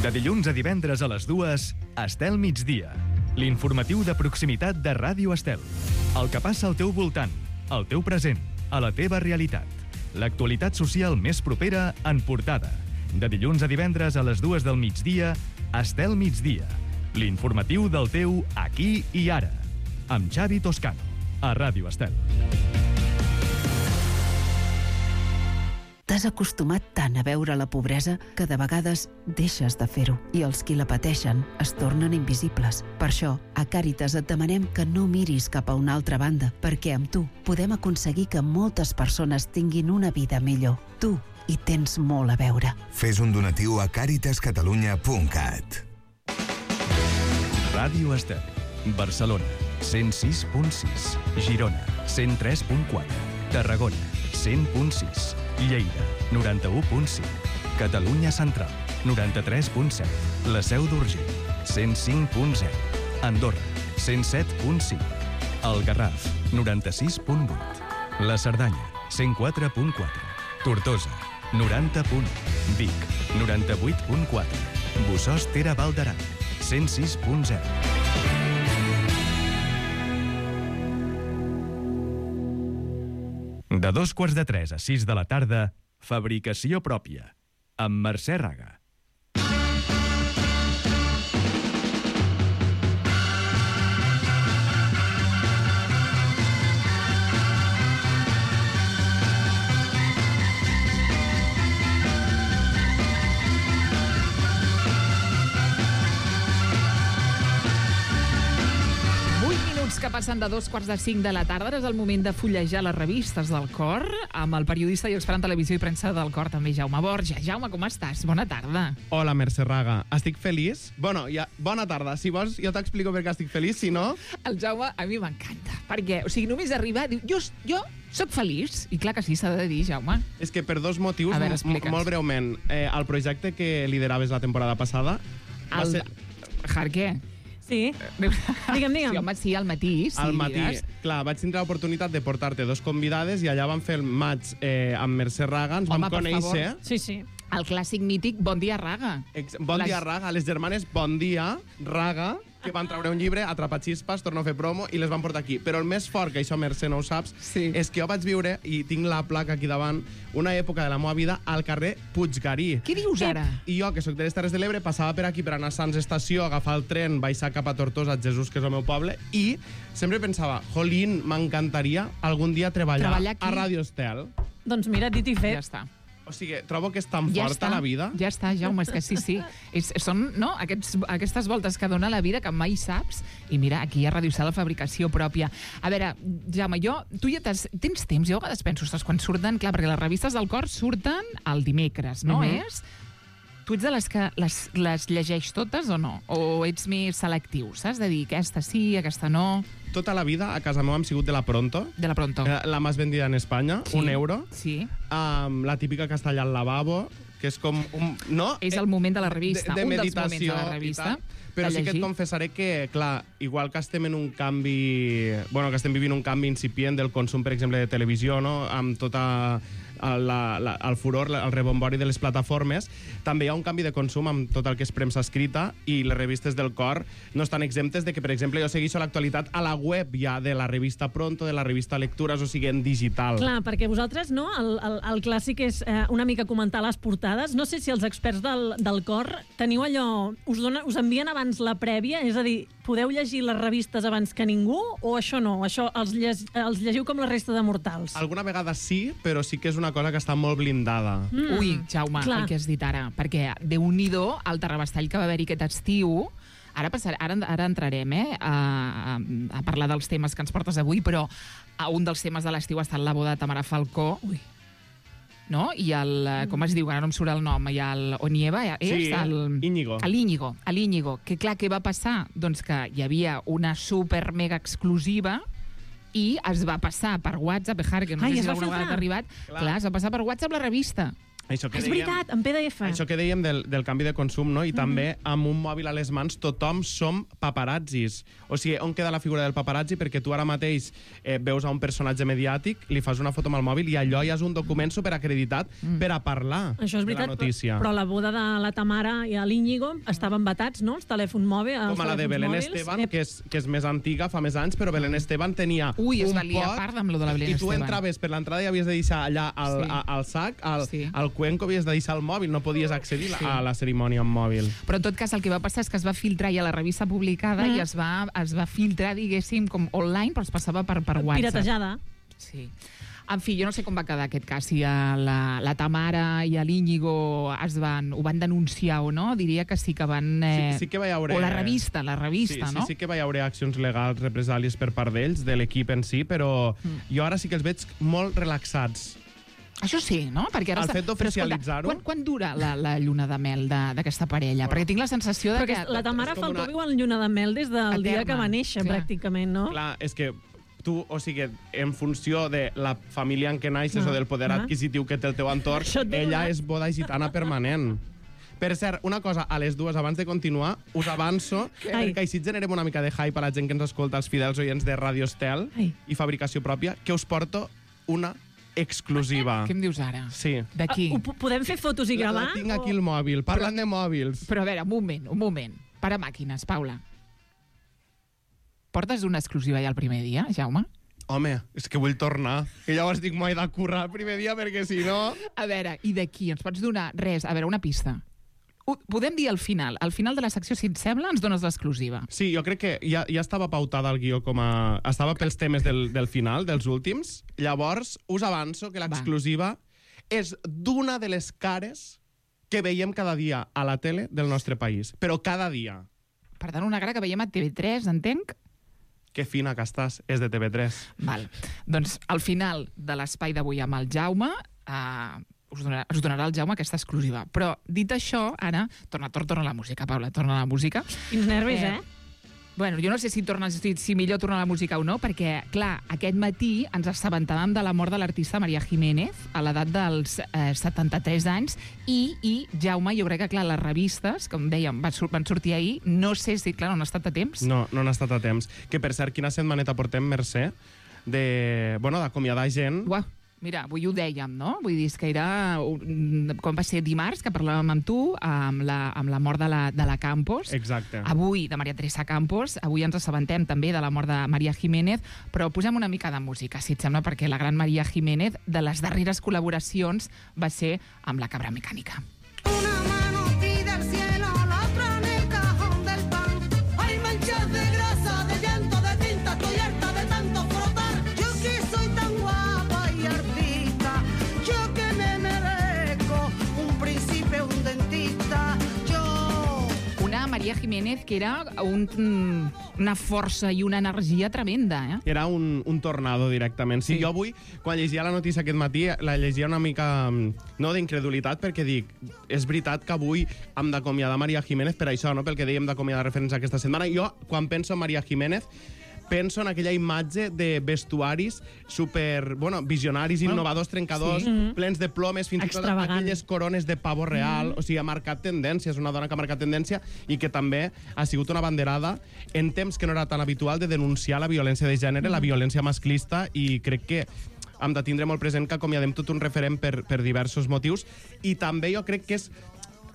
De dilluns a divendres a les 2, Estel Migdia. L'informatiu de proximitat de Ràdio Estel. El que passa al teu voltant, al teu present, a la teva realitat. L'actualitat social més propera en portada. De dilluns a divendres a les 2 del migdia, Estel Migdia. L'informatiu del teu aquí i ara. Amb Xavi Toscano, a Ràdio Estel. T'has acostumat tant a veure la pobresa que de vegades deixes de fer-ho i els qui la pateixen es tornen invisibles. Per això, a Càritas et demanem que no miris cap a una altra banda, perquè amb tu podem aconseguir que moltes persones tinguin una vida millor. Tu hi tens molt a veure. Fes un donatiu a caritascatalunya.cat. Ràdio Estel. Barcelona, 106.6. Girona, 103.4. Tarragona, 100.6. Lleida, 91.5. Catalunya Central, 93.7. La Seu d'Urgell, 105.0. Andorra, 107.5. El Garraf, 96.8. La Cerdanya, 104.4. Tortosa, 90.1. Vic, 98.4. Bossòst Ter Val d'Aran, 106.0. De 2:45 a 6 de la tarda, Fabricació pròpia, amb Mercè Raga. Que passen de 2:45 de la tarda. Ara és el moment de fullejar les revistes del Cor amb el periodista i expert en televisió i premsa del Cor, també Jaume Borja. Jaume, com estàs? Bona tarda. Hola, Mercè Raga. Estic feliç? Bueno, ja, bona tarda. Si vols, jo t'explico per què estic feliç, si no... El Jaume a mi m'encanta, perquè, o sigui, només arribar, diu, jo soc feliç. I clar que sí, s'ha de dir, Jaume. És que per dos motius, a veure, molt breument. El projecte que lideraves la temporada passada... Què? Sí. Digue'm. Sí, home, sí, al matí. Sí, al matí. Clar, vaig tindre l'oportunitat de portar-te dos convidades i allà vam fer el maig amb Mercè Raga, ens vam conèixer. Sí. El clàssic mític Bon dia, Raga. Bon dia, Raga. Les germanes Bon dia, Raga, que van treure un llibre, Atrapaxispas, torno a fer promo, i les van portar aquí. Però el més fort, que això Mercè no ho saps, és que jo vaig viure, i tinc la placa aquí davant, una època de la meva vida al carrer Puiggarí. Què dius ara? I jo, que soc de les Terres de l'Ebre, passava per aquí per anar a Sants Estació, agafar el tren, baixar cap a Tortosa, Jesús, que és el meu poble, i sempre pensava, jolín, m'encantaria algun dia treballar a Ràdio Estel. Doncs mira, dit i fet. Ja està. O sigui, trobo que és tan forta la vida. Ja està, Jaume, és que sí. Són aquestes voltes que dona la vida que mai saps. I mira, aquí a Ràdio Estel la fabricació pròpia. A veure, Jaume, tu ja tens temps? Jo a vegades penso, quan surten... Clar, perquè les revistes del Cor surten el dimecres, no és? Tu ets de les que les llegeix totes o no? O ets més selectiu, saps? De dir, aquesta sí, aquesta no... Tota la vida a casa meva hem sigut de la Pronto. De la Pronto. La més vendida en Espanya, sí. €1. Sí. La típica que està allà al lavabo, que és com un... No? És el moment de la revista, de un dels moments de la revista. Però sí que et confessaré que, clar, igual que estem en un canvi... Bueno, que estem vivint un canvi incipient del consum, per exemple, de televisió, no? Amb tota... el furor, el rebombori de les plataformes, també hi ha un canvi de consum amb tot el que és premsa escrita i les revistes del Cor no estan exemptes de que, per exemple, jo segueixo l'actualitat a la web ja de la revista Pronto, de la revista Lectures, o sigui, en digital. Clar, perquè vosaltres, no? El clàssic és una mica comentar les portades. No sé si els experts del Cor teniu allò... Us envien abans la prèvia? És a dir, podeu llegir les revistes abans que ningú o això no? Això els llegiu com la resta de mortals? Alguna vegada sí, però sí que és una cosa que està molt blindada. Ui, Jaume, el que has dit ara, perquè Déu-n'hi-do el terrabastall que va haver-hi aquest estiu. Ara entrarem a parlar dels temes que ens portes avui, però un dels temes de l'estiu ha estat la boda de Tamara Falcó. Ui. No? I com es diu? Ara no em surt el nom. I el Onieva sí, Íñigo. L'Íñigo. Que clar, què va passar? Doncs que hi havia una super mega exclusiva i es va passar per WhatsApp, que no sé si alguna vegada t'ha arribat, clar, es va passar per WhatsApp la revista. Això que És veritat, en PDF. Això que dèiem del canvi de consum, no? I també amb un mòbil a les mans tothom som paparazzis. O sigui, on queda la figura del paparazzi? Perquè tu ara mateix veus a un personatge mediàtic, li fas una foto amb el mòbil i allò ja és un document superacreditat per a parlar Això és veritat, de la notícia. però la boda de la Tamara i l'Íñigo estaven vetats, no?, els telèfons mòbils. Com a la de Belén Esteban, que és més antiga, fa més anys, però Belén Esteban tenia es un va liar pot part amb lo de la Belén i tu Esteban. entraves per l'entrada i havies de deixar allà al sac, al cuenco havies de deixar el mòbil, no podies accedir a la cerimònia amb mòbil. Però en tot cas el que va passar és que es va filtrar ja la revista publicada i es va filtrar, diguéssim, com online, però es passava per WhatsApp. Piratejada. Sí. En fi, jo no sé com va quedar aquest cas, si la Tamara i l'Íñigo ho van denunciar o no, diria que sí que van... Sí que va haver... O la revista, no? Sí que va haver accions legals, represàlies per part d'ells, de l'equip en si, però jo ara sí que els veig molt relaxats. Això sí, no? Perquè ara el fet d'oficialitzar-ho... Quan dura la lluna de mel d'aquesta parella? Perquè tinc la sensació de que... La Tamara Falcó viu en lluna de mel des del dia que va néixer, pràcticament, no? Clar, és que tu, o sigui, en funció de la família en què naixes o del poder adquisitiu que té el teu entorn, ella és boda gitana permanent. Per cert, una cosa, a les dues, abans de continuar, us avanço, perquè així generem una mica de hype a la gent que ens escolta, els fidels oients de Radio Estel i fabricació pròpia, que us porto una exclusiva. Què em dius ara? Sí. D'aquí? Podem fer fotos i gravar? La tinc aquí al mòbil, parlant de mòbils. Però a veure, un moment. Para màquines, Paula. Portes una exclusiva ja el primer dia, Jaume? Home, és que vull tornar. I llavors dic, m'ho he de currar el primer dia, perquè si no... A veure, i d'aquí? Ens pots donar res? A veure, una pista. Podem dir al final de la secció, si et sembla, ens dones l'exclusiva. Sí, jo crec que ja estava pautada el guió com a... Estava pels temes del final, dels últims. Llavors, us avanço que l'exclusiva és d'una de les cares que veiem cada dia a la tele del nostre país. Però cada dia. Per tant, una cara que veiem a TV3, entenc? Que fina que estàs, és de TV3. Val. Doncs al final de l'espai d'avui amb el Jaume... us donarà el Jaume aquesta exclusiva. Però, dit això, ara, torna la música, Paula, torna la música. Quins nervis, Bueno, jo no sé si millor tornar la música o no, perquè, clar, aquest matí ens assabentàvem de la mort de l'artista María Jiménez a l'edat dels 73 anys i, Jaume, jo crec que, clar, les revistes, com dèiem, van sortir ahir, no sé si, clar, no han estat a temps. No han estat a temps. Que, per cert, quina setmaneta portem, Mercè, d'acomiadar gent... Uau. Mira, avui ho dèiem, no? Vull dir, que era... Com va ser dimarts, que parlàvem amb tu, amb la mort de la Campos. Exacte. Avui, de Maria Teresa Campos. Avui ens assabentem també de la mort de María Jiménez, però posem una mica de música, si et sembla, perquè la gran María Jiménez, de les darreres col·laboracions, va ser amb la Cabra Mecànica. Una mano pide al cielo, la otra en el cajón del pan. Hay manchas de grasa, de llanto, de tinta, estoy harta de tanto frotar. Yo que soy tan guapa y artista, yo que me merezco un príncipe, un dentista, yo... Una María Jiménez que era una força i una energia tremenda, Era un tornado, directament. Sí, jo avui, quan llegia la notícia aquest matí, la llegia una mica, no d'incredulitat, perquè dic, és veritat que avui hem d'acomiadar María Jiménez per això, no? Pel que dèiem d'acomiadar referents aquesta setmana. Jo, quan penso en María Jiménez, penso en aquella imatge de vestuaris super, visionaris, innovadors, trencadors, plens de plomes, fins i tot aquelles corones de pavo real. O sigui, ha marcat tendència, és una dona que ha marcat tendència i que també ha sigut una banderada en temps que no era tan habitual de denunciar la violència de gènere, la violència masclista, i crec que hem de tindre molt present que acomiadem tot un referent per diversos motius. I també jo crec que és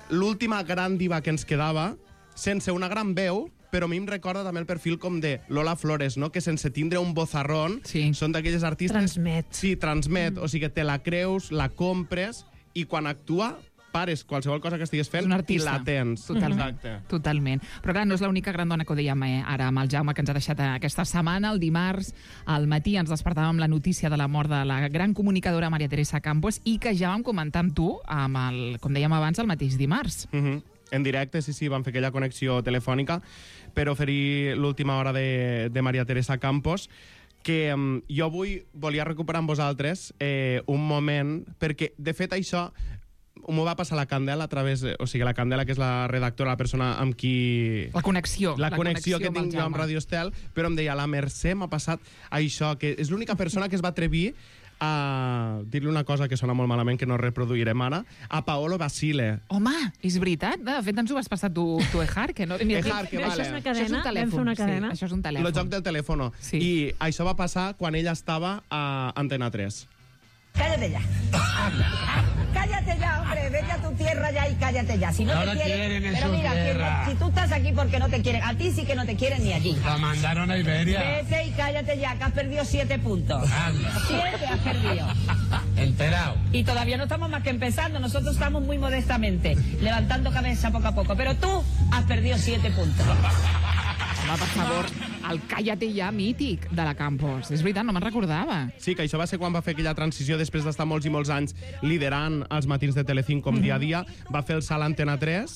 l'última gran diva que ens quedava, sense una gran veu, però a mi em recorda també el perfil com de Lola Flores, no? Que sense tindre un bozarrón són d'aquelles artistes... Transmet. Sí, transmet. O sigui que te la creus, la compres, i quan actua pares qualsevol cosa que estigues fent i la tens. Totalment. Totalment. Però clar, no és l'única gran dona que ho dèiem ara amb el Jaume, que ens ha deixat aquesta setmana. El dimarts al matí ens despertàvem amb la notícia de la mort de la gran comunicadora María Teresa Campos i que ja vam comentar amb tu, com dèiem abans, el mateix dimarts. En directe, sí, vam fer aquella connexió telefònica per oferir l'última hora de María Teresa Campos, que jo avui volia recuperar amb vosaltres un moment, perquè, de fet, això m'ho va passar la Candela a través... O sigui, la Candela, que és la redactora, la persona amb qui... La connexió. La connexió que tinc jo amb Radio Estel, però em deia, la Mercè m'ha passat això, que és l'única persona que es va atrevir a dir-li una cosa que sona molt malament, que no reproduirem ara, a Paolo Basile. Home, és veritat? De fet, ens ho vas passar tu Ejar, que no... Ejar, que vale. Això és una cadena, això és un telèfon. vam fer una cadena. Sí, això és un telèfon. El joc del telèfon. Sí. I això va passar quan ella estava a Antena 3. Cállate ya. Cállate ya, hombre. Vete a tu tierra ya y cállate ya. Si no te quieren en su tierra. Si tú estás aquí porque no te quieren, a ti sí que no te quieren ni allí. La mandaron a Iberia. Vete y cállate ya, que has perdido 7 puntos. 7 has perdido. Enterado. Y todavía no estamos más que empezando. Nosotros estamos muy modestamente, levantando cabeza poco a poco. Pero tú has perdido 7 puntos. Home, per favor, el Cállate ja mític de la Campos. És veritat, no me'n recordava. Sí, que això va ser quan va fer aquella transició després d'estar molts i molts anys liderant els matins de Telecinco com dia a dia. Va fer el salt a Antena 3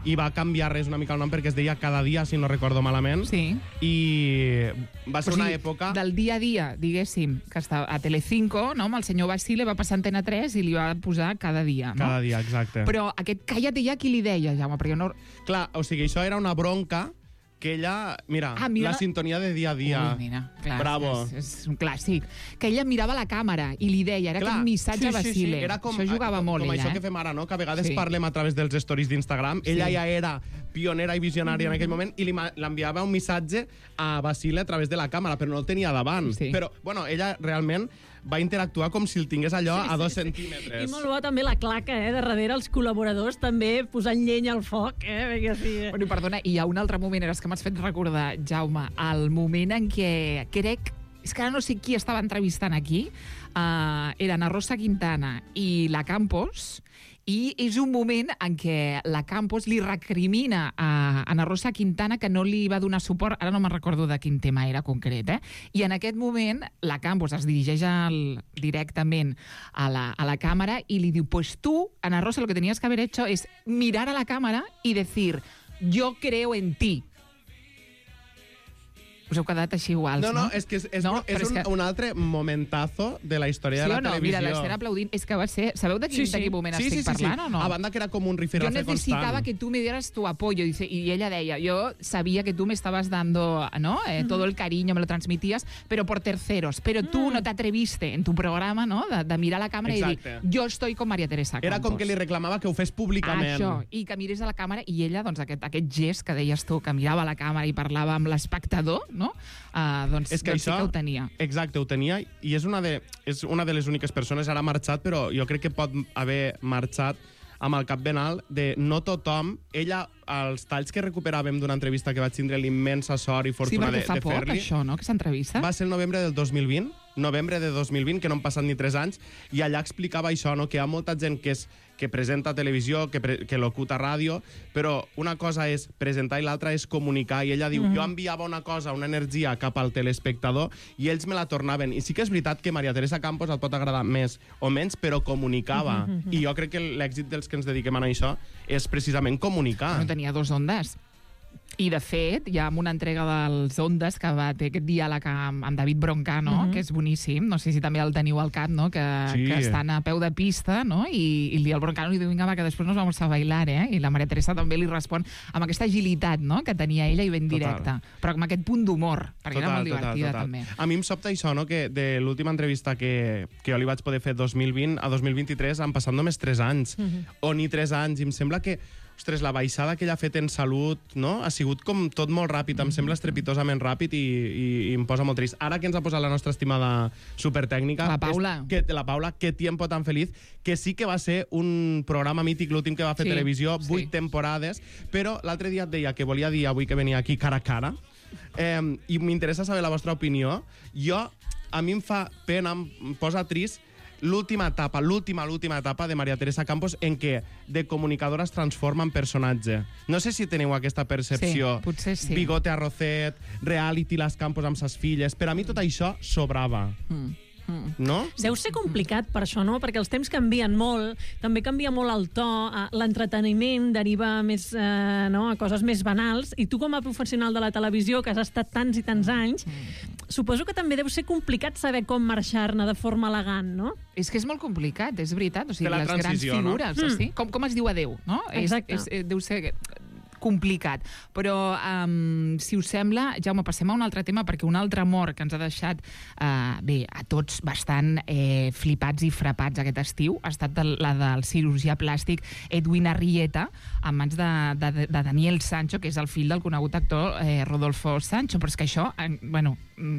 i va canviar res una mica el nom perquè es deia Cada Dia, si no recordo malament. Sí. I va ser una època... Del dia a dia, diguéssim, que estava a Telecinco, no? Amb el senyor Basile va passar a Antena 3 i li va posar Cada Dia, no? Cada dia, exacte. Però aquest Cállate ja, qui li deia, Jaume? Perquè no... Clar, o sigui, això era una bronca que ella... Mira, mira la sintonia de dia a dia. Ui, mira, clar, Bravo. És un clàssic. Que ella mirava la càmera i li deia, era Clar, aquest missatge a Basile. Era com, això jugava molt, com ella. això que fem ara, no? Que a vegades Sí. parlem a través dels stories d'Instagram. Ella ja era pionera i visionària en aquell moment i l'enviava un missatge a Basile a través de la càmera, però no el tenia davant. Sí. Però, bueno, ella realment va interactuar com si el tingués allò a 2 centímetres. I molt bo també la claca, de darrere els col·laboradors també posant llenya al foc, perquè sí. Bueno, perdona, i hi ha un altre moment, és que m'has fet recordar, Jaume, el moment en què crec... És que ara no sé qui estava entrevistant aquí. Era Ana Rosa Quintana i la Campos, i és un moment en què la Campos li recrimina a Ana Rosa Quintana que no li va donar suport, ara no me'n recordo de quin tema era concret, i en aquest moment la Campos es dirigeix directament a la càmera i li diu, pues tú, Ana Rosa, lo que tenías que haber hecho es mirar a la cámara y decir, yo creo en ti. Us heu quedat així iguals, no? No, és que és un altre momentazo de la història de la televisió. Mira, l'estem aplaudint. És que va ser... Sabeu de quin moment estic parlant o no? A banda que era com un rifirrafe constant. Yo necesitaba que tú me dieras tu apoyo. Dice, y ella deia, yo sabía que tú me estabas dando, ¿no? Todo el cariño, me lo transmitías, pero por terceros. Pero tú no te atreviste en tu programa, ¿no? De mirar a la càmera i dir, yo estoy con María Teresa Campos. Era com que li reclamava que ho fes públicament. Això, i que mirés a la càmera, i ella, doncs, aquest gest que deies tu, que mirava a la càmera i parlava amb l'espectador, no? Doncs, és que doncs això, sí que ho tenia. Exacte, ho tenia, i és una de les úniques persones, ara ha marxat, però jo crec que pot haver marxat amb el cap ben alt, de no tothom... Ella, els talls que recuperàvem d'una entrevista que vaig tindre l'immensa sort i fortuna de fer-li... Sí, perquè fa poc, això, no?, aquesta entrevista. Va ser el novembre del 2020, que no han passat ni 3 anys, i allà explicava això, no?, que hi ha molta gent que presenta a televisió, que locuta a ràdio, però una cosa és presentar i l'altra és comunicar, i ella diu, jo enviava una cosa, una energia cap al telespectador, i ells me la tornaven. I sí que és veritat que María Teresa Campos et pot agradar més o menys, però comunicava. I jo crec que l'èxit dels que ens dediquem a això és precisament comunicar. No tenia 2 ondes. I, de fet, hi ha una entrega dels Ondes que va ter aquest diàleg amb David Broncano, que és boníssim, no sé si també el teniu al cap, no? Que estan a peu de pista, no? I el Broncano li diu, vinga, va, que després nos vamos a bailar, I la María Teresa també li respon amb aquesta agilitat, no?, que tenia ella i ben directa. Però amb aquest punt d'humor, perquè era molt divertida, també. A mi em sobta això, no?, que de l'última entrevista que jo li vaig poder fer 2020 a 2023 han passat només 3 anys, o ni 3 anys, i em sembla que ostres, la baixada que ella ha fet en salut, no?, ha sigut com tot molt ràpid, em sembla estrepitosament ràpid i em posa molt trist. Ara que ens ha posat la nostra estimada supertècnica... La Paula. La Paula, qué tiempo tan feliz, que sí que va ser un programa mític, l'últim que va fer televisió, 8 temporades, però l'altre dia et deia que volia dir avui que venia aquí cara a cara, i m'interessa saber la vostra opinió. A mi em fa pena, em posa trist, l'última etapa de María Teresa Campos en què de comunicadora es transforma en personatge. No sé si teniu aquesta percepció. Sí, potser sí. Bigote Arrocet, reality Les Campos amb ses filles. Per a mi tot això sobrava. No? Deu ser complicat per això, no? Perquè els temps canvien molt, també canvia molt el to, l'entreteniment deriva més a coses més banals, i tu com a professional de la televisió, que has estat tants i tants anys, suposo que també deu ser complicat saber com marxar-ne de forma elegant, no? És que és molt complicat, és veritat. O sigui, la les grans transició, no? figures, sí? Com es diu adeu, no? Exacte. Deu ser complicat. Però, si us sembla, Jaume, passem a un altre tema, perquè una altra mort que ens ha deixat, a tots bastant flipats i frapats aquest estiu ha estat la del cirurgià plàstic Edwin Arrieta, en mans de Daniel Sancho, que és el fill del conegut actor Rodolfo Sancho. Però és que això,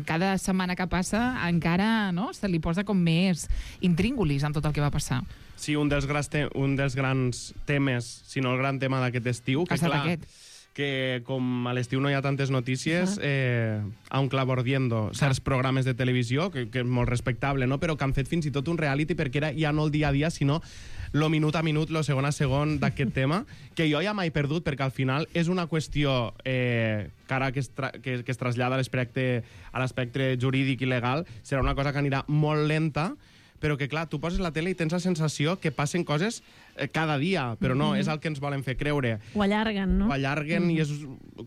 cada setmana que passa encara se li posa com més intríngulis amb tot el que va passar. Sí, un dels grans temes, si no el gran tema d'aquest estiu, que clar, que com a l'estiu no hi ha tantes notícies, aun clavordiendo certs programes de televisió, que és molt respectable, no? Però que han fet fins i tot un reality, perquè era ja no el dia a dia, sinó lo minut a minut, lo segon a segon d'aquest tema, que jo ja m'he perdut, perquè al final és una qüestió que ara que es trasllada a l'aspecte jurídic i legal, serà una cosa que anirà molt lenta, però que, clar, tu poses la tele i tens la sensació que passen coses cada dia, però no, és el que ens volen fer creure. Ho allarguen, no? Ho allarguen i és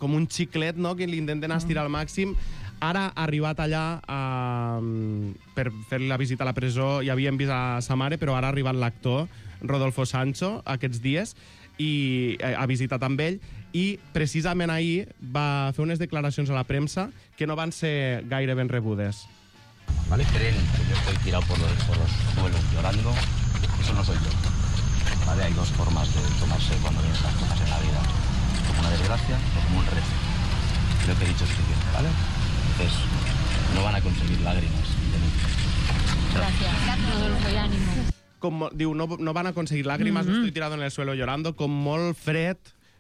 com un xiclet, no?, que l'intenten estirar al màxim. Ara ha arribat allà per fer-li la visita a la presó, ja havíem vist a sa mare, però ara ha arribat l'actor Rodolfo Sancho aquests dies i ha visitat amb ell, i precisament ahir va fer unes declaracions a la premsa que no van ser gaire ben rebudes. ¿Vale? Creen que yo estoy tirado por los suelos llorando. Eso no soy yo. ¿Vale? Hay dos formas de tomarse cuando ven estas cosas en la vida. Como una desgracia o como un reto. Creo que he dicho suficiente, ¿vale? Entonces, no van a conseguir lágrimas de mí. Gracias, Rodolfo, y ánimo. Com diu, no van a conseguir lágrimas, no estoy tirado en el suelo llorando, com molt fred,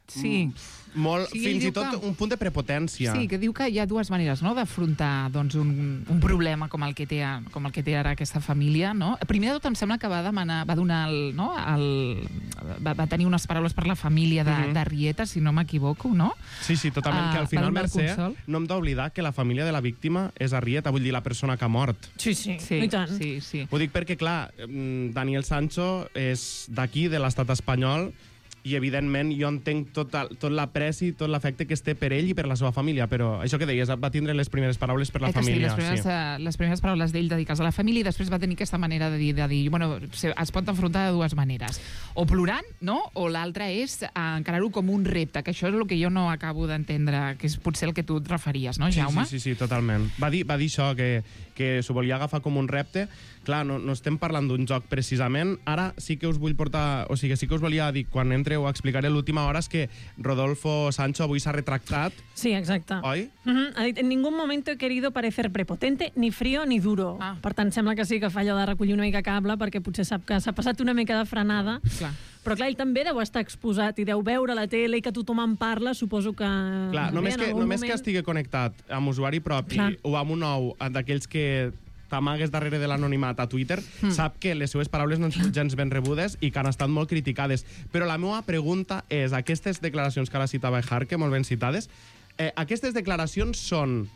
sí. Molt, Sí, fins diu i tot que- un punt de prepotència. Sí, que diu que hi ha dues maneres, no?, d'afrontar un problema com el que té ara aquesta família, no? Primer de tot, em sembla que va tenir unes paraules per la família de Rieta, si no m'equivoco, no? Sí, totalment, que al final, Mercè, no hem d'oblidar que la família de la víctima és Arrieta, vull dir, la persona que ha mort. Sí, i tant. Sí. Ho dic perquè, clar, Daniel Sancho és d'aquí, de l'estat espanyol, i evidentment jo entenc tot l'apreci, tot l'afecte que es té per ell i per la seva família, però això que deies, va tindre les primeres paraules per la família. Les primeres paraules d'ell dedicades a la família, i després va tenir aquesta manera de dir, bueno, es pot afrontar de dues maneres, o plorant, no?, o l'altra és encarar-ho com un repte, que això és el que jo no acabo d'entendre, que és potser el que tu et referies, no, Jaume? Sí, totalment. Va dir això, que s'ho volia agafar com un repte. Clar, no estem parlant d'un joc precisament. Ara sí que us vull portar, o sigui, sí que us volia dir, quan entreu a explicaré l'última hora, és que Rodolfo Sancho avui s'ha retractat. Sí, exacte. Oi? Ha dit, en ningún momento he querido parecer prepotente, ni frío ni duro. Per tant, sembla que sí que fa allò de recollir una mica cable, perquè potser sap que s'ha passat una mica de frenada. Clar. Però clar, ell també deu estar exposat i deu veure la tele i que tothom en parla, suposo que... Clar, només que estigui connectat amb usuari propi o amb un nou d'aquells que t'amagues darrere de l'anonimat a Twitter, sap que les seues paraules no són gens ben rebudes i que han estat molt criticades. Però la meva pregunta és, aquestes declaracions que ara citava Ejarque, molt ben citades, aquestes declaracions són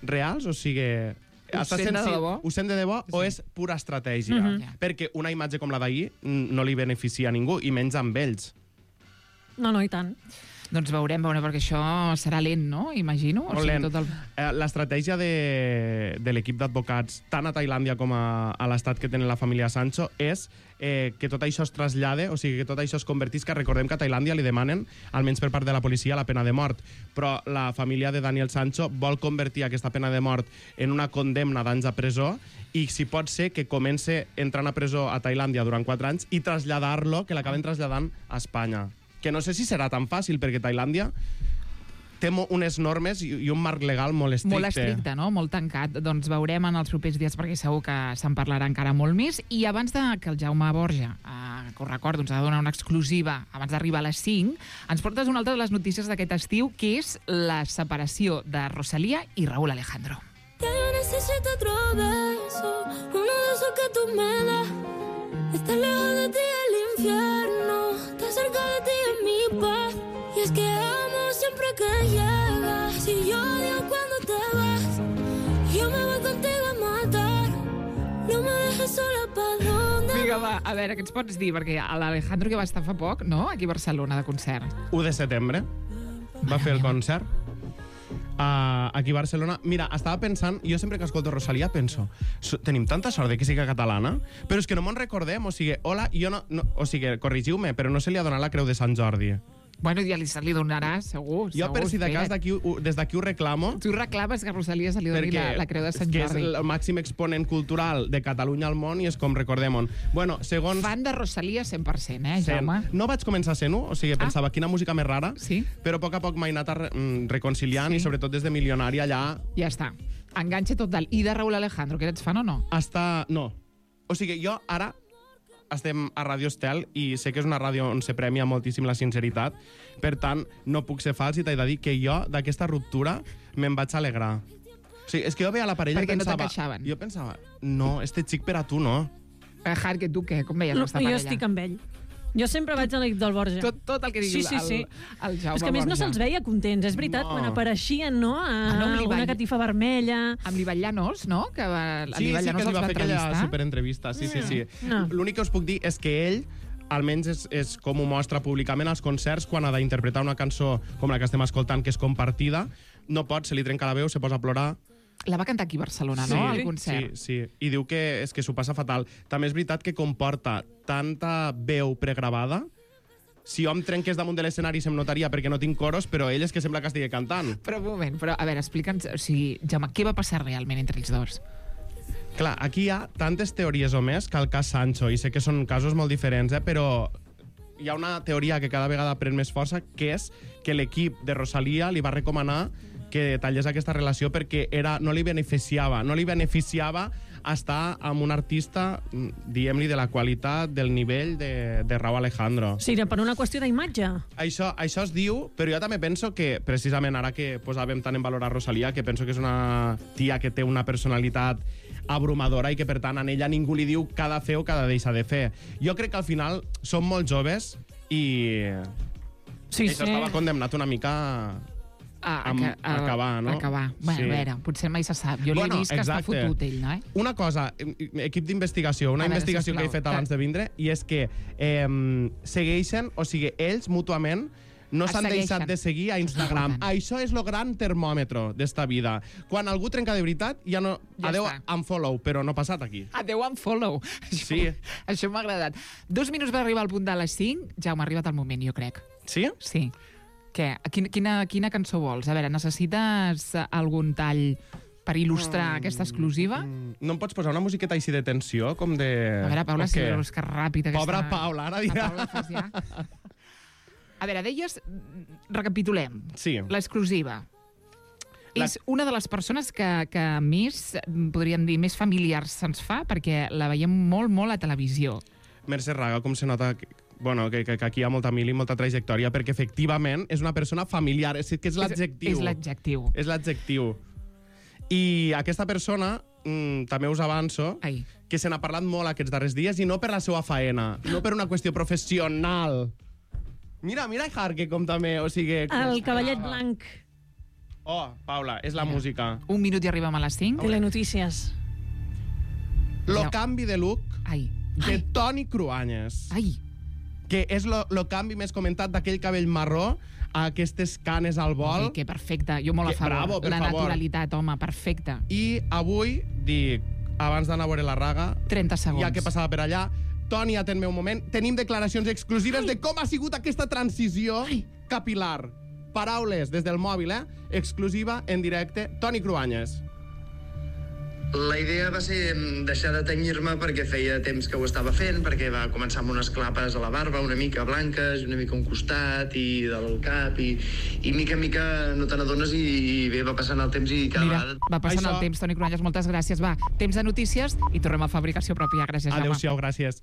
reals? O sigui... Ho sent de debò? Ho sent de debò o és pura estratègia? Perquè una imatge com la d'ahir no li beneficia a ningú, i menys amb ells. No, i tant. Doncs veurem, perquè això serà lent, no? Imagino. Molt lent. L'estratègia de l'equip d'advocats, tant a Tailàndia com a l'estat que tenen la família Sancho, és que tot això es trasllade, o sigui, que tot això es convertís, que recordem que a Tailàndia li demanen, almenys per part de la policia, la pena de mort. Però la família de Daniel Sancho vol convertir aquesta pena de mort en una condemna d'anys a presó, i si pot ser que comence entrant a presó a Tailàndia durant 4 anys i traslladar-lo, que l'acaben traslladant a Espanya. Que no sé si serà tan fàcil, perquè Tailàndia té unes normes i un marc legal molt estricte. Molt estricte, no? Molt tancat. Doncs veurem en els propers dies, perquè segur que se'n parlarà encara molt més. I abans que el Jaume Borja, que ho recordo, ens ha de donar una exclusiva abans d'arribar a les 5, ens portes una altra de les notícies d'aquest estiu, que és la separació de Rosalía i Raúl Alejandro. Ya yo necesito otro beso, uno de esos que tú me das. Estar lejos de ti es el infierno, estar cerca de ti es mi paz. Y es que amo siempre que llegas, y yo odio cuando te vas. Yo me voy contigo a matar, no me dejes sola, ¿pa' dónde? Vinga, va, a veure, què ens pots dir? Perquè l'Alejandro, que va estar fa poc, no?, aquí a Barcelona, de concert. 1 de setembre va fer el concert. aquí a Barcelona. Mira, estava pensant, jo sempre que escolto Rosalía penso, tenim tanta sort de que sigui catalana, però és que no me'n recordem, o sigui, hola, jo no, o sigui, corrigiu-me, però no se li ha donat la Creu de Sant Jordi. Bueno, ja li donarà, segur. Jo, per si de cas, des d'aquí ho reclamo. Tu reclames que a Rosalía se li doni la Creu de Sant Jordi. Que és el màxim exponent cultural de Catalunya al món i és com recordem-ho. Bueno, segons... Fan de Rosalía 100%, Jaume? No vaig començar sent-ho, o sigui, pensava, quina música més rara, però a poc m'he anat reconciliant i sobretot des de Milionària allà... Ja està. Enganxe total. I de Raúl Alejandro, que eres fan o no? No. O sigui, jo ara... estem a Ràdio Estel i sé que és una ràdio on se premia moltíssim la sinceritat, per tant, no puc ser fals i t'he de dir que jo, d'aquesta ruptura, me'n vaig alegrar. O sigui, és que jo veia la parella i pensava... Perquè no t'encaixaven. Jo pensava, no, este xic per a tu no. Har, que tu què? Com veies aquesta parella? Jo estic amb ell. Jo sempre vaig a l'equip del Borja. Tot el que digui el Jaume Borja. És que a més no se'ls veia contents, és veritat, quan apareixien, no? Alguna catifa vermella... Amb l'Ivan Llanos, no? Que sí, que li va fer aquella superentrevista. Sí. L'únic que us puc dir és que ell, almenys és com ho mostra públicament als concerts, quan ha d'interpretar una cançó com la que estem escoltant, que és compartida, no pot, se li trenca la veu, se posa a plorar. La va cantar aquí a Barcelona, no?, al concert. Sí. I diu que és que s'ho passa fatal. També és veritat que comporta tanta veu pregravada. Si jo em trenqués damunt de l'escenari se'm notaria perquè no tinc coros, però ell és que sembla que estigui cantant. Però un moment, a veure, explica'ns... O sigui, Jaume, què va passar realment entre els dos? Clar, aquí hi ha tantes teories o més que el cas Sancho, i sé que són casos molt diferents, però hi ha una teoria que cada vegada pren més força, que és que l'equip de Rosalía li va recomanar que tallés aquesta relació perquè no li beneficiava estar amb un artista, diguem-li, de la qualitat, del nivell de Raúl Alejandro. Sí, per una qüestió d'imatge. Això es diu, però jo també penso que, precisament ara que posàvem tant en valor a Rosalía, que penso que és una tia que té una personalitat abrumadora i que, per tant, a ella ningú li diu què ha de fer o què ha de deixar de fer. Jo crec que al final som molt joves i això estava condemnat una mica a acabar, no? Acabar. Bueno, a veure, potser mai se sap. Jo l'he vist que està fotut ell, no? Una cosa, equip d'investigació, una investigació que he fet abans de vindre, i és que segueixen, o sigui, ells mútuament no s'han deixat de seguir a Instagram. Això és el gran termòmetre d'esta vida. Quan algú trenca de veritat, ja no... Adeu, unfollow, però no ha passat aquí. Adeu, unfollow. Sí. Això m'ha agradat. 2 minuts per arribar al punt de les 5. Jaume, ha arribat el moment, jo crec. Sí? Sí. Què? Quina cançó vols? A veure, necessites algun tall per il·lustrar aquesta exclusiva? No em pots posar una musiqueta així de tensió, com de... A veure, Paula, si veus que ràpida... Pobra Paula, ara dirà. A veure, deies... Recapitulem. Sí. L'exclusiva. És una de les persones que més, podríem dir, més familiars se'ns fa, perquè la veiem molt, molt a televisió. Mercè Raga, com se nota... Bueno, que aquí hi ha molta mil i molta trajectòria, perquè efectivament és una persona familiar, és que és l'adjectiu. És l'adjectiu. És l'adjectiu. I aquesta persona, també us avanço, que se n'ha parlat molt aquests darrers dies, i no per la seva faena, no per una qüestió professional. Mira, Harke, com també, o sigui... El cavallet blanc. Oh, Paula, és la música. 1 minut i arribem a les 5. Telenotícies. Lo canvi de look de Toni Cruanyes. Que és el canvi més comentat d'aquell cabell marró a aquestes canes al vol. Que perfecte, jo molt a favor. Bravo, per favor. Naturalitat, home, perfecte. I avui, dic, abans d'anar a veure la Raga... 30 segons. Ja que passava per allà, Toni, atén-me un moment, tenim declaracions exclusives de com ha sigut aquesta transició capilar. Paraules des del mòbil, exclusiva, en directe, Toni Cruanyes. La idea va ser deixar de tenyir-me perquè feia temps que ho estava fent, perquè va començar amb unes clapes a la barba una mica blanques, una mica a un costat i del cap, i mica en mica no te n'adones i bé, va passant el temps i cada vegada... Va passant el temps, Toni Cruanyes, moltes gràcies. Va, temps de notícies i tornem a Fabricació Pròpia. Gràcies, Jaume. Adéu-siau, gràcies.